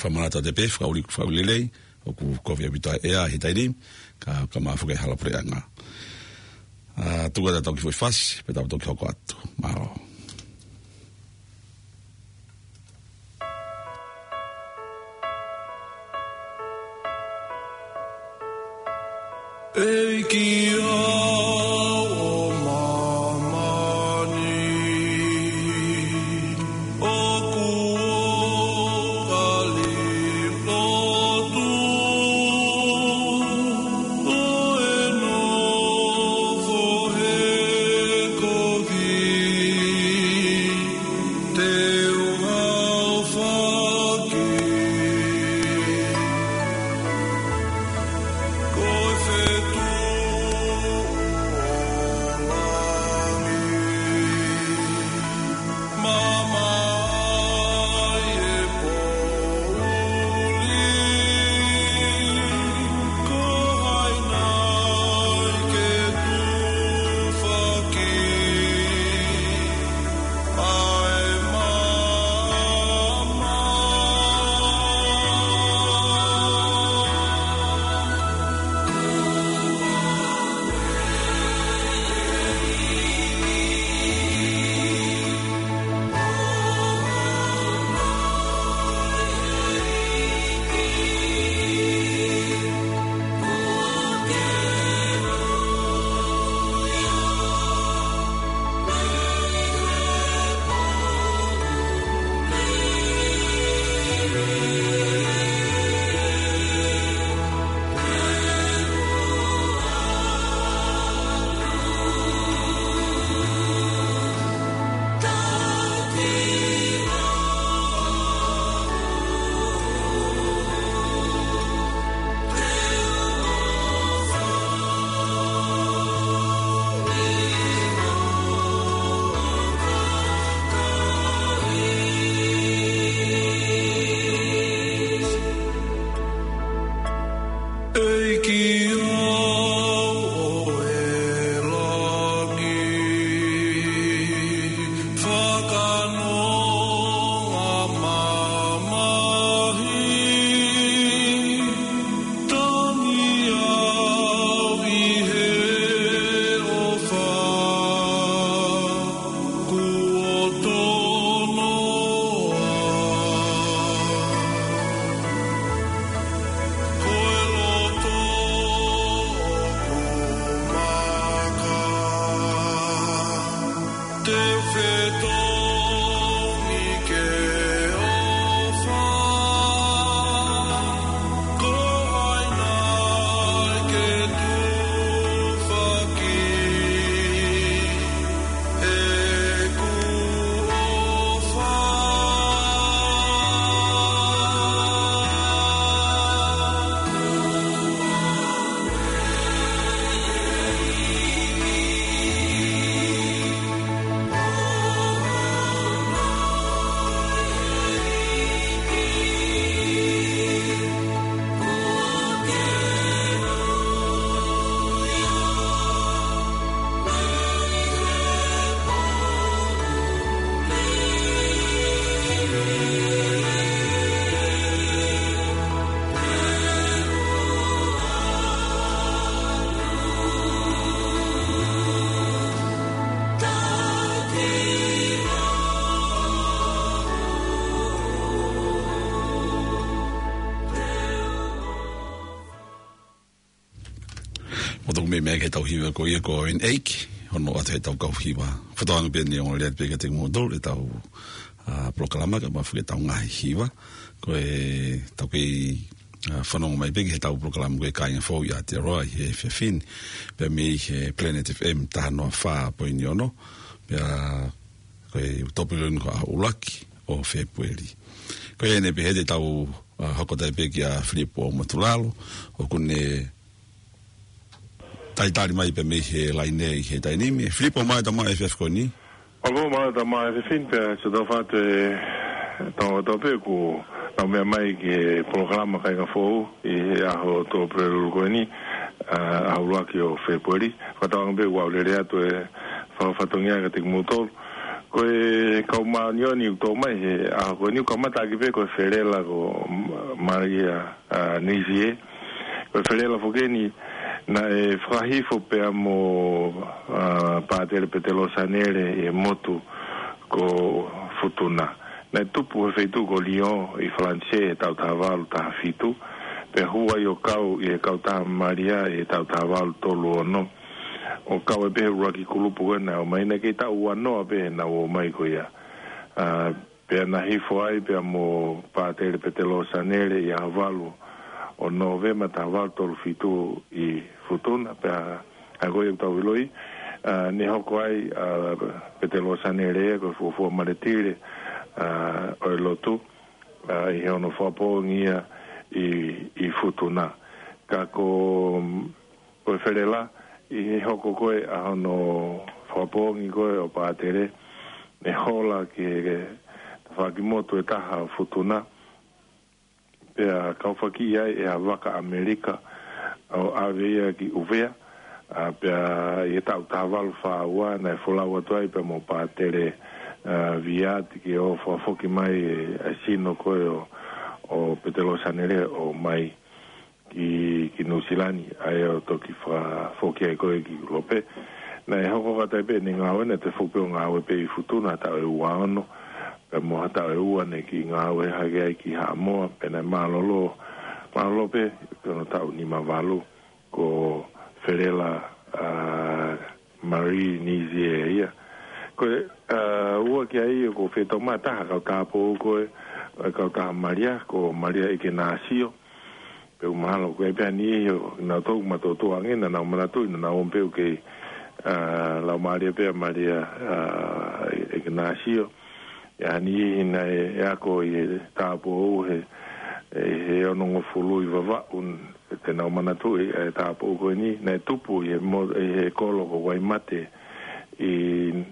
Fakamanatu atu pē, fakaʻuli, fakaʻuli lelei, ʻoku kovi ʻaupito ʻa e ʻea he taimi ni, ka, ka mafoke hala puleʻanga. ʻA, tuku atu ʻetau kiʻi foʻi fasi, pea tau toki hoko atu. Mālō. ʻEiki ʻo māmani, ʻoku ou kole lotu, ʻo e nofo he kovi, te u aofaki. Tuku meimei ki heʻetau hiva ko ia ko Owen Ake, hono ʻoatu heʻetau kau hiva. Fakatauange pē ʻe ongo lelei pē kiate kimoutolu ʻetau, ā, polokalama kae ʻumaʻā foki ʻetau ngaahi hiva. Ko ʻetau kei, ā, fanongo mai pē ki heʻetau polokalama ko e Kāinga Fou ʻi Aotearoa ʻi he efiafi ni. Pea mei he Planet F M taha noa fā poini ono. Pea ko e ʻoku tō pē ʻeni ko e ʻuluaki ʻo Fēpueli. Ko ia ʻeni pē heʻetau, ā, hoko atu pē kia Filipo Motulalo, ʻoku ne talitali mai pē mei he laine ʻi he taimi ni. Filipo, mālō e tama e efiafi ko eni. ʻOku mālō e tama e efiafi ni pea ʻoku ou fakaʻamu atu ʻe tau tau pē ʻoku nau meʻa mai ki he polokalama Kāinga Fou ʻi he ʻaho tō pē lulu ko eni, ā, ʻaho ʻuluaki ʻo Fēpueli. Fakatauange pē ʻoku ou lele atu e fakafatongia kiate kimoutolu. Ko e kau māʻoniʻoni ʻoku tō mai he ʻaho ko eni ʻoku kamata ʻaki pē ko e felela ko M-, Maria, ā, Nizie. Ko e felela foki eni naʻe fakahifo pea mo, ā, Pātele Petelo Sanele ʻi he motu ko Futuna. Naʻe tupu he feituʻu ko Lyon ʻi Falanisē he taʻu taha valu taha fitu, pea hū ai ʻo kau ʻi he kautaha Malia ʻi he taʻu taha valu tolu ono. ʻO kau ai pē he ʻuluaki kulupu ko ē naʻe ō mai, naʻe kei taʻu ua noa pē heʻenau ō mai ko ia. Ā, pea na hifo ai pea mo Pātele Petelo Sanele ʻi he ʻaho valu ʻo Nōvema taha valu tolu fitu ʻi Futuna, pea ʻa ko ia ʻoku tau ʻiloʻi, ā, ne hoko ai, ā, Petelo Sanele ia ko e fuofua maletile, ā, ʻo e lotu, ā, ʻi he ono fakapoongi ia ʻi, ʻi Futuna. Ka ko, ko e felela, ʻi he hoko ko ē ʻa hono fakapoongi ko ē ʻo Pātele, ne hola ki he tafaʻaki motu ʻe taha ʻo Futuna, pea kaufakiʻi ai ʻe ha vaka ʻAmelika ʻo ʻave ia ki ʻUvea, ā, pea ʻi he taʻu taha valu fā ua naʻe folau atu ai pea mo Pātele, ā, Viati ke ō fakafoki mai e, e sino ko ē ʻo, ʻo Petelo Sanele ʻo ō mai ki, ki Nuʻusila ni, ʻa ia ʻo toki fakafoki ai ko ē ki ʻIulope. Naʻe hoko atu ai pē ʻene ngāue, naʻe toe foki pē ʻo ngāue pē ʻi Futuna ha taʻu ʻe ua ono, pea mo ha taʻu ʻe ua naʻe kiʻi ngāue hake ai ki Haʻamoa, pea naʻe mālōlō, mālōlō pē ki hono taʻu nima valu, ko felela, ā, Marie Nizie ia. Ko e, ā, ua ki ai ʻoku fetoma taha kau tāupoʻou ko ē, ā, kautaha Malia, ko Malia ʻEkenasio. Pea ʻoku mahalo ko e pea ni ʻi he, naʻa tau mātuʻa ange, naʻa nau manatuʻi, naʻa nau ō pē ʻo kei, ā, laumālie pē ʻa Malia, ā, ʻEkenasio. ʻI he niʻihi naʻe ako ʻi he tāupoʻou he, ʻi he onongofulu ʻi Vavaʻu, te nau manatuʻi e tāupoʻou ko eni, naʻe tupu ʻi he mo-, ʻi he kolo ko Waimate ʻi,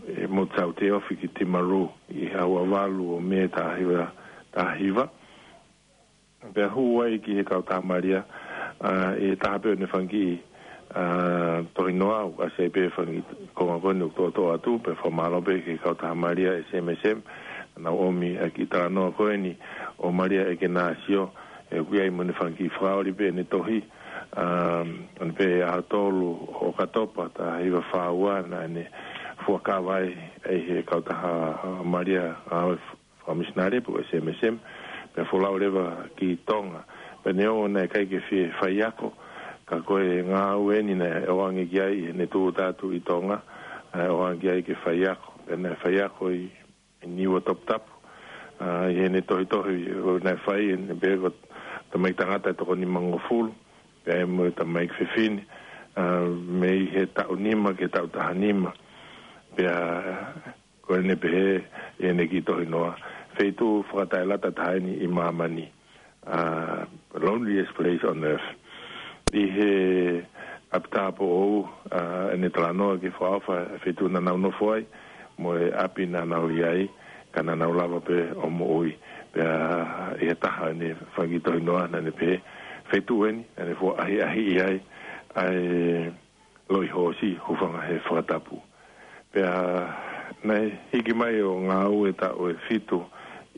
ʻi Mount Saute ofi ki Timaru ʻi he ʻaho ua valu ʻo Mē taha hiva, taha hiva. Pea hū ai ki he kautaha Malia, ā, ʻi he taha pē ʻo ʻene fanga kiʻi, ā, tohinoa, ʻoku ʻasi ai pē fanga kiʻi konga ko eni ʻoku toʻotoʻo atu, pea fakamālō pē ki he kautaha Malia S M S M, naʻa nau ʻomi ʻa e kiʻi talanoa ko eni ʻo Malia ʻEkenasio, ē, ʻoku ʻi ai mo ʻene fanga kiʻi fakaoli pē ʻene tohi, ā, ʻo ne pehē ʻaho tolu ʻo ʻOkatopa, taha hiva fā ua, naʻa ne fuakava ai ʻe he kautaha, ā, Malia, ā, fakamisinale pe ko e S M S M, pea folau leva ki Tonga. Pea neongo naʻe ʻikai ke fie faiako, ka ko e ngāue eni naʻe ʻoange ki ai ʻi heʻene tūʻuta atu ʻi Tonga, ē, ʻoange ki ai ke faiako. Pea naʻe faiako ʻi, ʻi Niua Toputapu. Ā, ʻi heʻene tohitohi ʻo naʻe fai, ʻene pehē ko e tamaiki tangata ʻe toko nimangofulu, pea mo e tamaiki fefine, ā, mei he taʻu nima ki he taʻu taha nima. Pea ko ʻene pehē ʻi heʻene kiʻi tohinoa, feituʻu fakataʻelata taha eni ʻi māmani, ā, loneliest place on earth. ʻI he ʻapi tāupoʻou, ā, ʻene talanoa ki he fakaʻofa e feituʻu naʻa nau nofo ai, mo e ʻapi naʻa nau ʻi ai, ka naʻa nau lava pē ʻo moʻui. Pea ʻi he taha ʻene fanga kiʻi tohinoa naʻa ne pehē, feituʻu eni naʻa ne fua ʻahiʻahiʻi ai ʻa e loʻi hoosi, hūfanga he fakatapu. Pea naʻe hiki mai ʻo ngāue taʻu ʻe fitu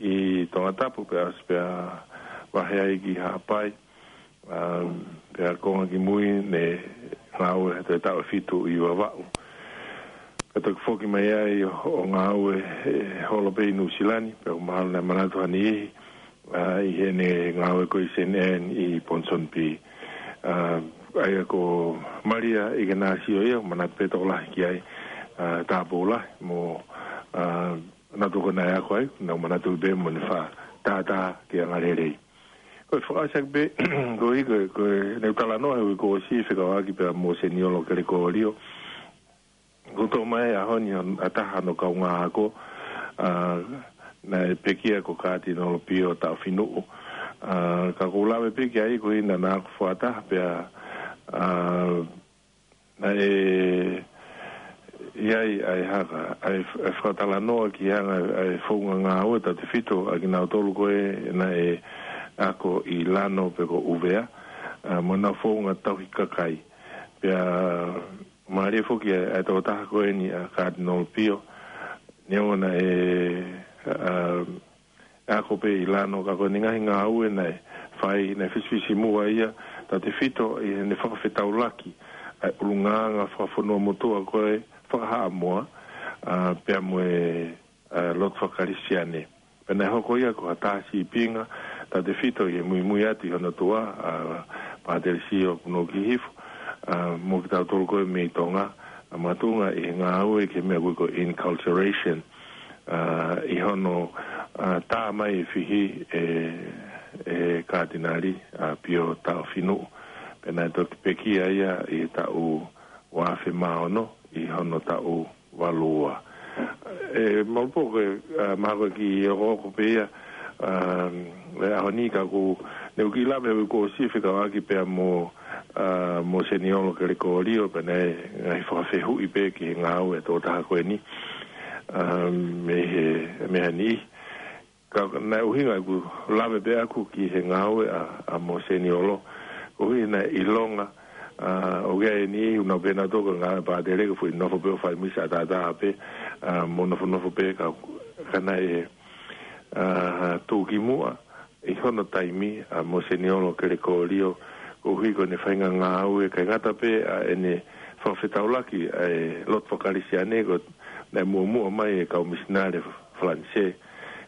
ʻi Tongatapu, pea ʻosi pea vahe ai ki Haʻapai, ā, pea konga kimui ne ngāue ha toe taʻu ʻe fitu ʻi Vavaʻu. Pea toki foki mai ai ʻo, ʻo ngāue he holo pē ʻi Nuʻusila ni, pea ʻoku mahalo naʻe manatu ha niʻihi, ā, ʻi heʻene ngāue ko ē ʻi Saint Anne ʻi Ponsonby. Ā, ʻA ia ko Malia ʻIkenasio ia, manatu pē tokolahi ki ai, ʻa, tāpou lahi, mo, ʻa, naʻa tau ko ē naʻe ako ai, naʻa manatu pē mo ne fakatātā ki he angalelei. Ko e fakaʻosi ʻaki pē, ko e, ko e, ko e, ne u talanoa he uike kuo ʻosi fekauʻaki pea mo Seniolo Kelekolio. Kuo tō mai ʻaho ni ʻa taha hono kaungā ako, ʻa, naʻe pekia ko Katinolo Pio Taʻofinuʻu. ʻA, ka ʻoku ou lave pē ki ai ko ʻena naʻa ku fakataha pea, ʻa, naʻe ʻi ai ʻa e haka, ʻa e f-, ʻa e fakatalanoa ki he anga ʻa e founga ngāue tautefito ʻa kinautolu ko ē naʻe ako ʻi Lano pe ko ʻUvea, ʻa, mo ʻena founga tauhi kakai. Pea mālie foki ʻa e, ʻa e tokotaha ko eni ʻa Katinolo Pio, neongo naʻe, ʻa, ako pē ʻi Lano ka ko ʻene ngaahi ngāue naʻe fai, naʻe fisifisimuʻa ia, tautefito ʻi heʻene fakafetaulaki ʻa e ʻulungaanga fakafonua motuʻa ko ē fakahaʻamoa, ʻa, pea mo e, ʻa, lotu faka-Kalisitiane. Pea naʻe hoko ia ko ha taha sīpinga, tautefito ʻi he muimui atu ʻi hono tuʻa, ʻa, Pātele Sio Kuno Kihifo, ʻa, mo kitautolu ko ē mei Tonga, ʻa, makatuʻunga ʻi he ngāue ki he meʻa ko ē ko e enculturation, ʻa, ʻi hono, ʻa, tā mai e fihi ʻe, ʻe Katinali, ʻa, Pio Taʻofinuʻu. Pea naʻe toki pekia ia ʻi he taʻu ua afe mā ono ʻi hono taʻu valu ua. ʻE, Malupō, ko e, ʻa, mahalo ko e kiʻi okooko pē ia, ʻa, ʻi he ʻaho ni ka ʻoku, ne u kiʻi lave he uike kuo ʻosi fekauʻaki pea mo, ʻa, mo Seniolo Kelekolio, pea naʻe ngaahi fakafehuʻi pē ki he ngāue ʻa e tokotaha ko eni, ʻa, mei he, mei he niʻihi. Ka naʻe ʻuhinga ʻeku lave pē ʻaku ki he ngāue ʻa, ʻa mo Seniolo. Koeʻuhi naʻe ʻilonga, ʻa, ʻoku ʻi ai e niʻihi ʻoku nau pehē nautolu ko e ngāue ʻa Pātele ko e foʻi nofo pē ʻo fai misa ʻataʻatā pē, ʻa, mo nofonofo pē ka, ka naʻe, ʻa, tuʻukimuʻa ʻi hono taimi ʻa mo Seniolo Kelekolio, koeʻuhi ko ʻene faʻahinga ngāue, ʻikai ngata pē ʻa ʻene fakafetaulaki ʻa e lotu faka-Kalisitiane ko ē naʻe muʻomuʻa mai e kau misinale Falanisē.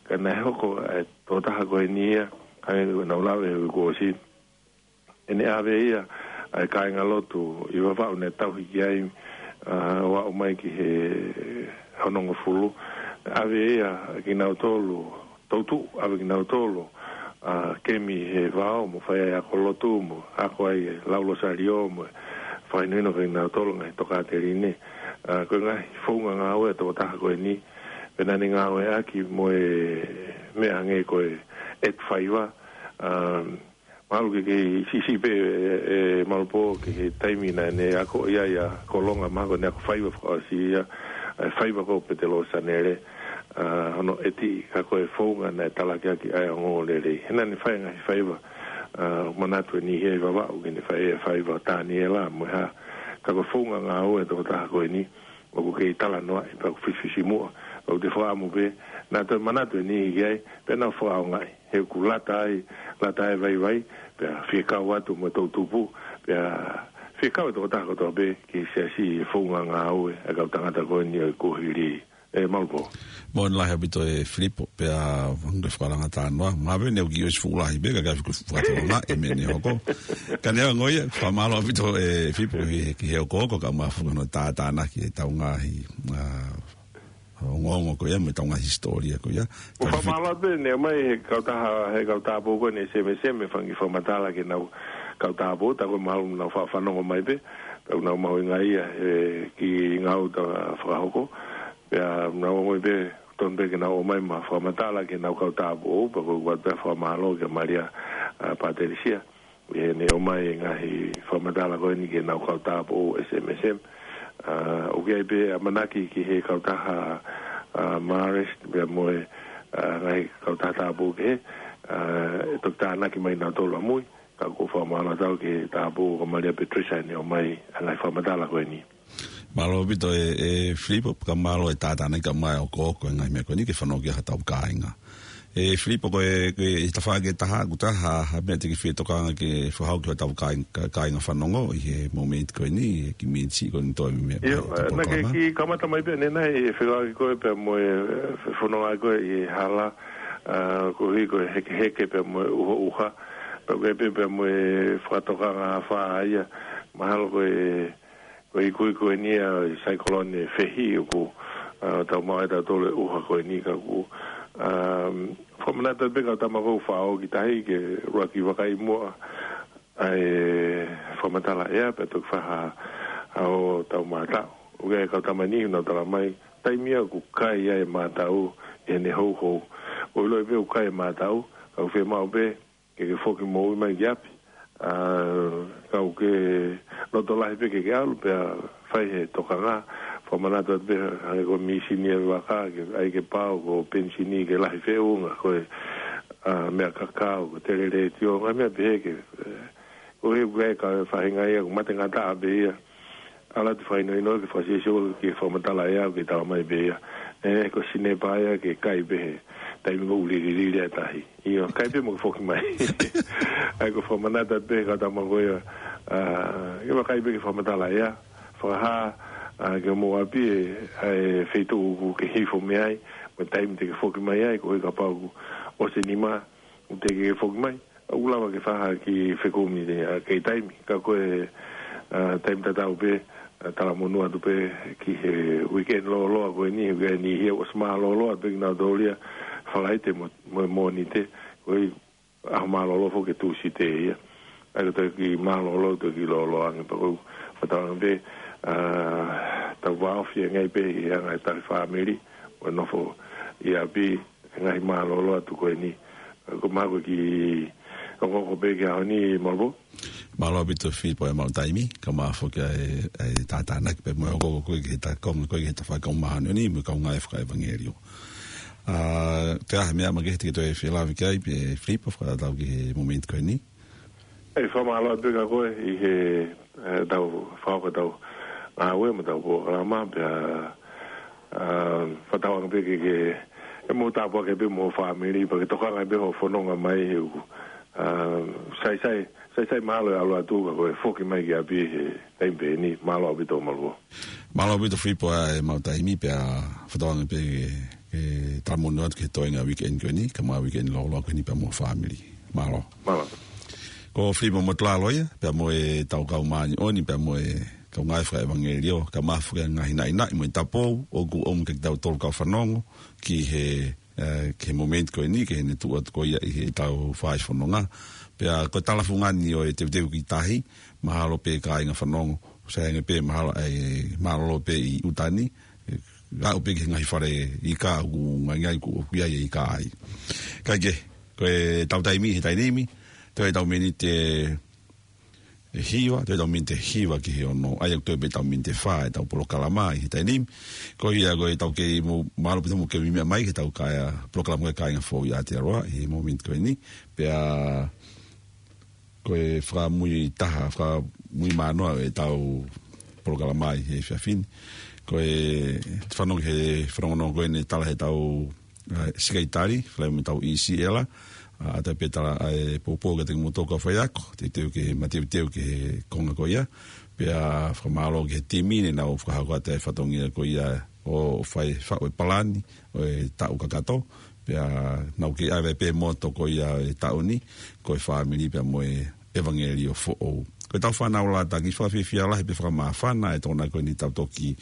Ka naʻe hoko ʻa e tokotaha ko eni ia, hangē ko ʻenau lave he uike kuo ʻosi, ʻene ʻave ia ʻa e kāingalotu ʻi Vavaʻu naʻe tauhi ki ai, ʻa, ʻo aʻu mai ki he onongofulu. ʻAve ia kinautolu, toutuʻu, ʻave kinautolu, ʻa, kemi he vao mo fai ai ako lotu mo ako ai e lau Losalio mo fakahinohino kia kinautolu ngaahi tokāteline. ʻA, ko e ngaahi founga ngāue ʻa e tokotaha ko eni, pea naʻa ne ngāueʻaki mo e meʻa hangē ko e ʻetu faiva, ʻa, mahalo ke kei siʻisiʻi pē, ʻe, ʻe Malupō ki he taimi naʻa ne ako ai ʻa Kolonga, mahalo ko ʻene ako faiva fakaʻosi ia, ʻa e faiva ko Petelo Sanele, ʻa, hono ʻeti, ka ko e founga naʻe talaki ʻaki ʻa e ongoongolelei. He naʻa ne fai ngaahi faiva, ʻa, manatu e niʻihi ʻi Vavaʻu ke ne fai e faiva Taniela mo e hā, ka ko e founga ngāue ʻa e tokotaha ko eni, ʻoku kei talanoaʻi pea ʻoku fisifisimuʻa, ʻoku te fakaʻamu pē, naʻa toe manatu e niʻihi ki ai, pea nau fakaʻaongaʻi, he ʻoku lata ai, lata ai e vaivai, pea fie kau atu mo e toʻutupu, pea fie kau e tokotaha kotoa pē ki he siasi ʻi he founga ngāue ʻa e kau tangata ko eni ʻo e kuohili. ʻE Malupō. Moʻoni lahi ʻaupito ʻe Filipo, pea hangē ko e fakalanga talanoa. Mahalo pē ne u kiʻi ʻosi fuʻu lahi pē, ka ʻikai fuʻu fakatolonga, ʻe meʻa ne hoko. Ka neongo ia, fakamālō ʻaupito ʻe Filipo ki he, ki he okooko, kae ʻumaʻā foki hono tātānaki ʻetau ngaahi, ʻa, ongoongo ko ia, mo ʻetau ngaahi hisitōlia ko ia. Ko e fakamālō pē, ne mai he kautaha, he kau tāpō ko eni ʻa e S M S M, ʻa e fanga kiʻi fakamatala ki heʻenau kau tāpō, tā ko e mahalo nau fa-, fanongo mai pē, pea nau mahuʻingaʻia he kiʻi ngāue ʻoku ta fakahoko. Pea nau ongoʻi pē, tonu pē ke nau ō mai mo ha fakamatala ki heʻenau kau tāpō, pea ko ʻeku ʻoatu pē fakamālō kia Malia, ʻa, Pātelisia, ʻi heʻene ō mai e ngaahi fakamatala ko eni ki heʻenau kau tāpō S M S M. ʻA, ʻoku ʻi ai pē ʻamanaki ki he kautaha, ʻa, Marist, pea mo e, ʻa, ngaahi kautaha tāpō kehe, ʻa, ʻe toki tānaki mai nautolu ʻamui, ka ʻoku ou fakamālō atu ki he tāpō ko Malia Patricia ʻi heʻene ō mai ʻa e ngaahi fakamatala ko eni. Mālō ʻaupito ʻe, ʻe Filipo, pea mālō e tātānaki kae ʻumaʻā e okooko e ngaahi meʻa ko eni ke fanongo ki ai hotau kāinga. ʻE Filipo, ko e, ko e tafaʻaki ʻe taha, ʻoku ʻi ai ha, ha meʻa te ke fie tokanga ke fakahoko ki hotau kāing-, ka-, kāinga fanongo ʻi he momeniti ko eni, ʻi he kiʻi miniti ko eni toe mei, ʻIo, mei he ʻa, naʻa ke polokalama. Kiʻi kamata mai pē ʻanenai, ʻi he fekauʻaki ko ē pea mo e, ʻe, fononga ko ē ʻi he hala, ʻa, koeʻuhi ko e hekeheke pea mo e ʻuhoʻuha, pea ko e pē pea mo e fakatokanga afā ia, Mahalo ko e, ko e ikuiku eni ʻa e saikolone fehi ʻoku, ʻa, tau maʻu ai tautolu e ʻuha ko eni ka ʻoku, ʻa, fakamanatu pē kau tama kou faʻo ki tahi ke ʻuluaki vakai muʻa ʻa e fakamatala ʻea pea toki fai ha, ʻa ʻo tau mātau. ʻOku ʻi ai e kau tama eni ʻoku nau tala mai, taimi ia ʻoku kai ai e mātau ʻi heʻene houhou. ʻOku ʻiloʻi pē ʻoku kai e mātau, ka ʻoku fiemaʻu pē ke ke foki moʻui mai ki ʻapi. ʻA, ka ʻoku ke loto lahi pē ke ke ʻalu pea fai he tokanga, fakamanatu atu pē hangē ko e mīsini e vaka, ke ʻai ke pau, ko e penisini ke lahi feʻunga, ko e, ʻa, meʻa kakau, ko e telelētio, ngaahi meʻa pehē ke, ʻe, ʻo e ʻoku ʻi ai e kau faʻahinga ia, ʻoku mate ngataʻa pē ia. ʻAlu atu fakahinohino ke fakasiosio ki he fakamatala ʻea ʻoku ke tala mai pē ia. ʻE, ko e sinepa ia ke kai pē he taimi ʻoku lililili ai e tahi. ʻIo, kai pē mo ke foki mai. ʻA ia ko e fakamanatu atu pē kau tama ko ia, ʻa, ke vakai pē ki he fakamatala ʻea. Fakahā, ʻa, ki homou ʻapi e, ʻa e feituʻu ʻoku ke hifo mei ai, mo e taimi te ke foki mai ai, koeʻuhi kapau ʻoku ʻosi e nima, ʻoku teʻeki ke foki mai. ʻOku lava ke fakahā ki he fekumi ʻa, ki he taimi. Ka ko e, ʻa, taimi tatau pē, ʻa, talamonū atu pē ki he weekend lōloa ko eni, weekend ʻi heni ʻosi mālōlō atu pē kinautolu ia, Falaite mo, mo, Mōnite, ko e ʻaho mālōlō foki Tūsite ia. ʻA ia ko e toki mālōlō, toki lōloa ange pea ko e, ʻoku tau anga pē, ʻa, tau vāofi ange pē ʻi he anga e tali fāmili, ʻo nofo ʻi ʻapi, ngaahi mālōlō atu ko eni. Ko e mahalo ko e kiʻi hokohoko pē ki he ʻaho ni, Malvo. Mālō ʻaupito Filipo e mau taimi, ka mau foki ai, ai tātānaki pē mo e hokohoko ko ē ki he ta konga ko ē ki he tafaʻaki ʻo e māhani ʻo eni, mo e kaungā fakaʻevangeliō. ʻA, te aha meʻa makehe te ke toe felāveʻi ki ai, pē Filipo, fakatatau ki he momeniti ko eni. ʻE, fakamālō atu pē kia koe ʻi he, ʻe, tau fakahoko ʻetau ngāue mo ʻetau polokalama, pea, ʻa, fakatauange pē ke, ke, ʻe mou tāpuaki pē mo e fāmili, pea ke tokanga pē hoʻo fononga mai he ʻoku, ʻa, saisai, saisai mahalo e ʻalu atu ka ko e foki mai ki ʻapi he taimi pē eni, mālō ʻaupito Malvo. Mālō ʻaupito Filipo ʻa e mau taimi pea fakatauange pē ke, ke talamonū atu ki he toenga weekend ko eni, kaungā weekend lōloa ko eni pea mo e fāmili. Mālō. Mālō. Ko Filipo Motulalo ia, pea mo e tau kau māʻoniʻoni, pea mo e kaungā fakaʻevangeliō, kae ʻumaʻā foki e ngaahi naʻinaʻi mo e tapou, ʻoku ʻomi kia kitautolu kau fanongo, ki he, ʻe, ki he momeniti ko eni, ki heʻene tuʻu atu ko ia ʻi heʻetau fai fononga. Pea ko e talafungani ʻo e teuteu ki tahi, mahalo pē kāinga fanongo, sai ange pē mahalo ʻa e mālōlō pē ʻi ʻuta ni, ʻe, aʻu pē ki he ngaahi fale ika ʻoku ngaingai ʻoku, ʻoku ʻi ai e ika ai. Kae kehe, ko ʻetau taimi he taimi ni, toe ʻetau miniti ʻe, ʻe hiva, toe ʻetau miniti ʻe hiva ki he ono, ʻa ia ʻoku toe pē ʻetau miniti ʻe fā ʻetau polokalama ʻi he taimi ni. Ko ia ko ʻetau kei mo, mālō pē ʻetau kei meʻa mai ki heʻetau kāinga, polokalama ko e Kāinga Foʻou ʻi Aotearoa, ʻi he momeniti ko eni. Pea ko e fakamui taha, fakamui manoa ʻetau polokalama ʻi he efiafi ni. Ko e fanongo he fanongonongo ko eni tala heʻetau, ʻa, sikaitali, fale mo ʻetau ʻi Siela, ʻa, ʻatā pē tala ʻa e poupou kiate kimoutolu kau faiako, teuteu ki he mateuteu ki he konga ko ia, pea fakamālō ki he timi ne nau fakahoko atu e fatongia ko ia ʻo fai faʻu e palani, ʻo e taʻu kakato, pea nau kei ʻave pē moto ko ia e taʻu ni, ko e fāmili pea mo e ʻevangeliō foʻou. Ko ʻetau fānau lātaki fakafiefia lahi pea fakamāfana e tokoni ko eni tau toki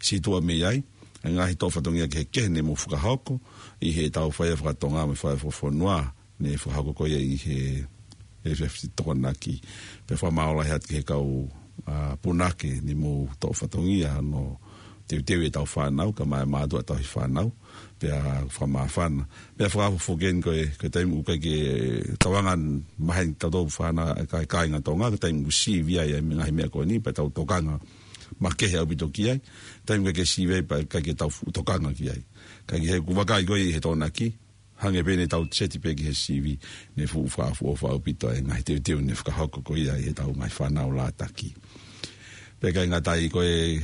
situʻa mei ai, e ngaahi toʻo fatongia kehekehe ne mou fakahoko, ʻi heʻetau fai e fakatonga mo e fai e fakafonua, ne fakahoko ko ia ʻi he, he efiafi Tokonaki. Pea fakamālō lahi atu ki he kau, ʻa, punake ne mou toʻo fatongia ʻo teuteu ʻetau fānau, kae ʻumaʻā e mātuʻa tauhi fānau, pea fakamāfana. Pea fakafoki eni ko e, ko e taimi ʻoku ʻikai ke tau anga maheni tautolu fānau, ka, kāinga Tonga, ko e taimi ʻoku sivi ai e ngaahi meʻa ko eni, pea tau tokanga makehe ʻaupito ki ai, taimi ʻoku ʻikai ke sivi ai, pea ʻikai ke tau fuʻu tokanga ki ai. Ka ʻi he ʻoku vakai ko ē ʻi he Tokonaki, hangē pē ne tau seti pē ki he sivi, ne fuʻu fakaʻofoʻofa ʻaupito e ngaahi teuteu ne fakahoko ko ia ʻi heʻetau ngaahi fānau lātaki. Pea ʻikai ngata ai ko e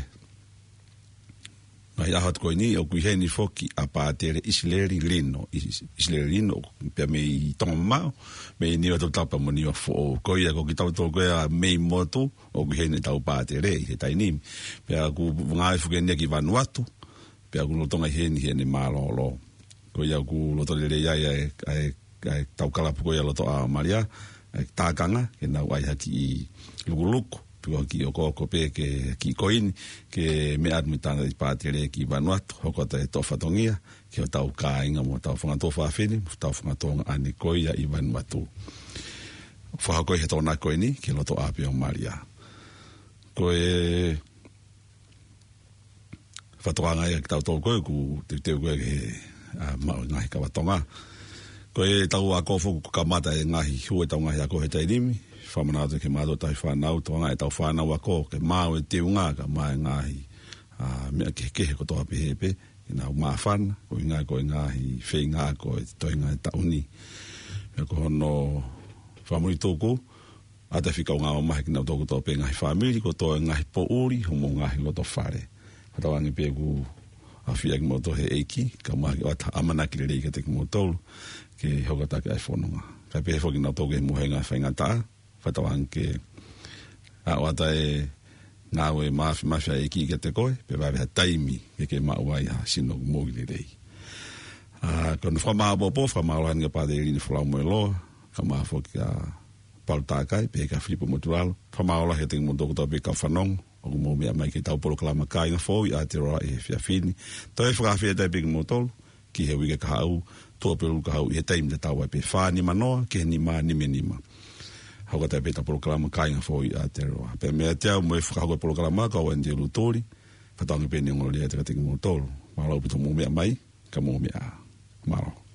ngaahi ʻaho atu ko eni, ʻoku ʻi heni foki ʻa Pātele ʻIsileli Lino, ʻIs-, ʻIsileli Lino, pea mei Tonga Mamaʻo, mei Niuatoputapu mo Niuafoʻou. Ko ia ko kitautolu ko ia mei motu, ʻoku ʻi heni ʻetau pātele ʻi he taimi ni. Pea ʻoku ngāue foki eni ki Vanuatu, pea ʻoku lolotonga ʻi heni heʻene mālōlō. Ko ia ʻoku loto lelei ai ʻa e, ʻa e, ʻa e tau kalapu ko ia loto ʻa Malia, ʻa e tākanga, ke nau ʻai ha kiʻi lukuluku, Ko e kiʻi okooko pē ke kiʻi koini, ke meʻa atu mei he tangataʻi pātele ki Vanuatu, hoko atu e toʻo fatongia ki hotau kāinga mo hotau fanga tuofāfine, mo hotau fanga tuongaʻane ko ia ʻi Vanuatu. Fakahoko ʻi he Tokonaki ko eni ki he loto ʻapi ʻo Malia. Ko e fakatokanga ia kiate kitautolu ko ē ʻoku teuteu ko ē ke, ʻa, maʻu e ngaahi kava Tonga. Ko ʻetau ako foki kuo kamata e ngaahi hū ʻetau ngaahi ako he taimi ni. Fakamanatu ki he mātuʻa tauhi fānau, tokanga ʻetau fānau ako ke maʻu e teunga kae ʻumaʻā e ngaahi, ʻa, meʻa kehekehe kotoa pē he pē ke nau māfana, koeʻuhinga ko e ngaahi feinga ako ʻo e toenga e taʻu ni. Pea ko hono fakamuimuitū, ʻoatu e fika ʻo e ngāue mamahi kiate kinautolu kotoa pē ngaahi fāmili, kotoa e ngaahi poʻuli, homou ngaahi loto fale. Fakatauange pē ʻoku ʻafioʻi kimoutolu ʻe he ʻEiki, kae ʻumaʻā ke ʻoatu ha ʻamanaki lelei kiate kimoutolu, ke hoko atu ʻa e fononga. Kae pehē foki kinautolu ki he mohenga faingataʻa, fakatauange ke ʻoatu e ngāue māfimafi ʻa e ʻEiki kiate koe, pea vave ha taimi ke ke maʻu ai ha sino moʻui lelei. ʻA, ko hono fakamāʻopoʻopo, fakamālō atu ki he Pātele Lini Folau Moeloa, kae ʻumaʻā foki ʻa Paula Takai, pehē kia Filipo Motulalo, fakamālō lahi kiate kimoutolu kotoa pē kau fanongo, ʻoku mou meʻa mai ki heʻetau polokalama Kāinga Foʻou ʻi Aotearoa ʻi he efiafi ni. Toe fakaafeʻi atu pē kimoutolu ki he uike kahaʻu, Tuʻapulelulu kahaʻu ʻi he taimi tatau ai pē, fā nima noa ki he nima nima nima. Hoko atu pē ʻetau polokalama Kāinga Foʻou ʻi Aotearoa. Pea meiate au mo e fakahoko e polokalama ko Wendy Lutuli, fakatauange pē ʻeni ʻoku ongo lelei atu kiate kimoutolu. Mālō ʻaupito hoʻomou meʻa mai, ka mou meʻa ā. Mālō.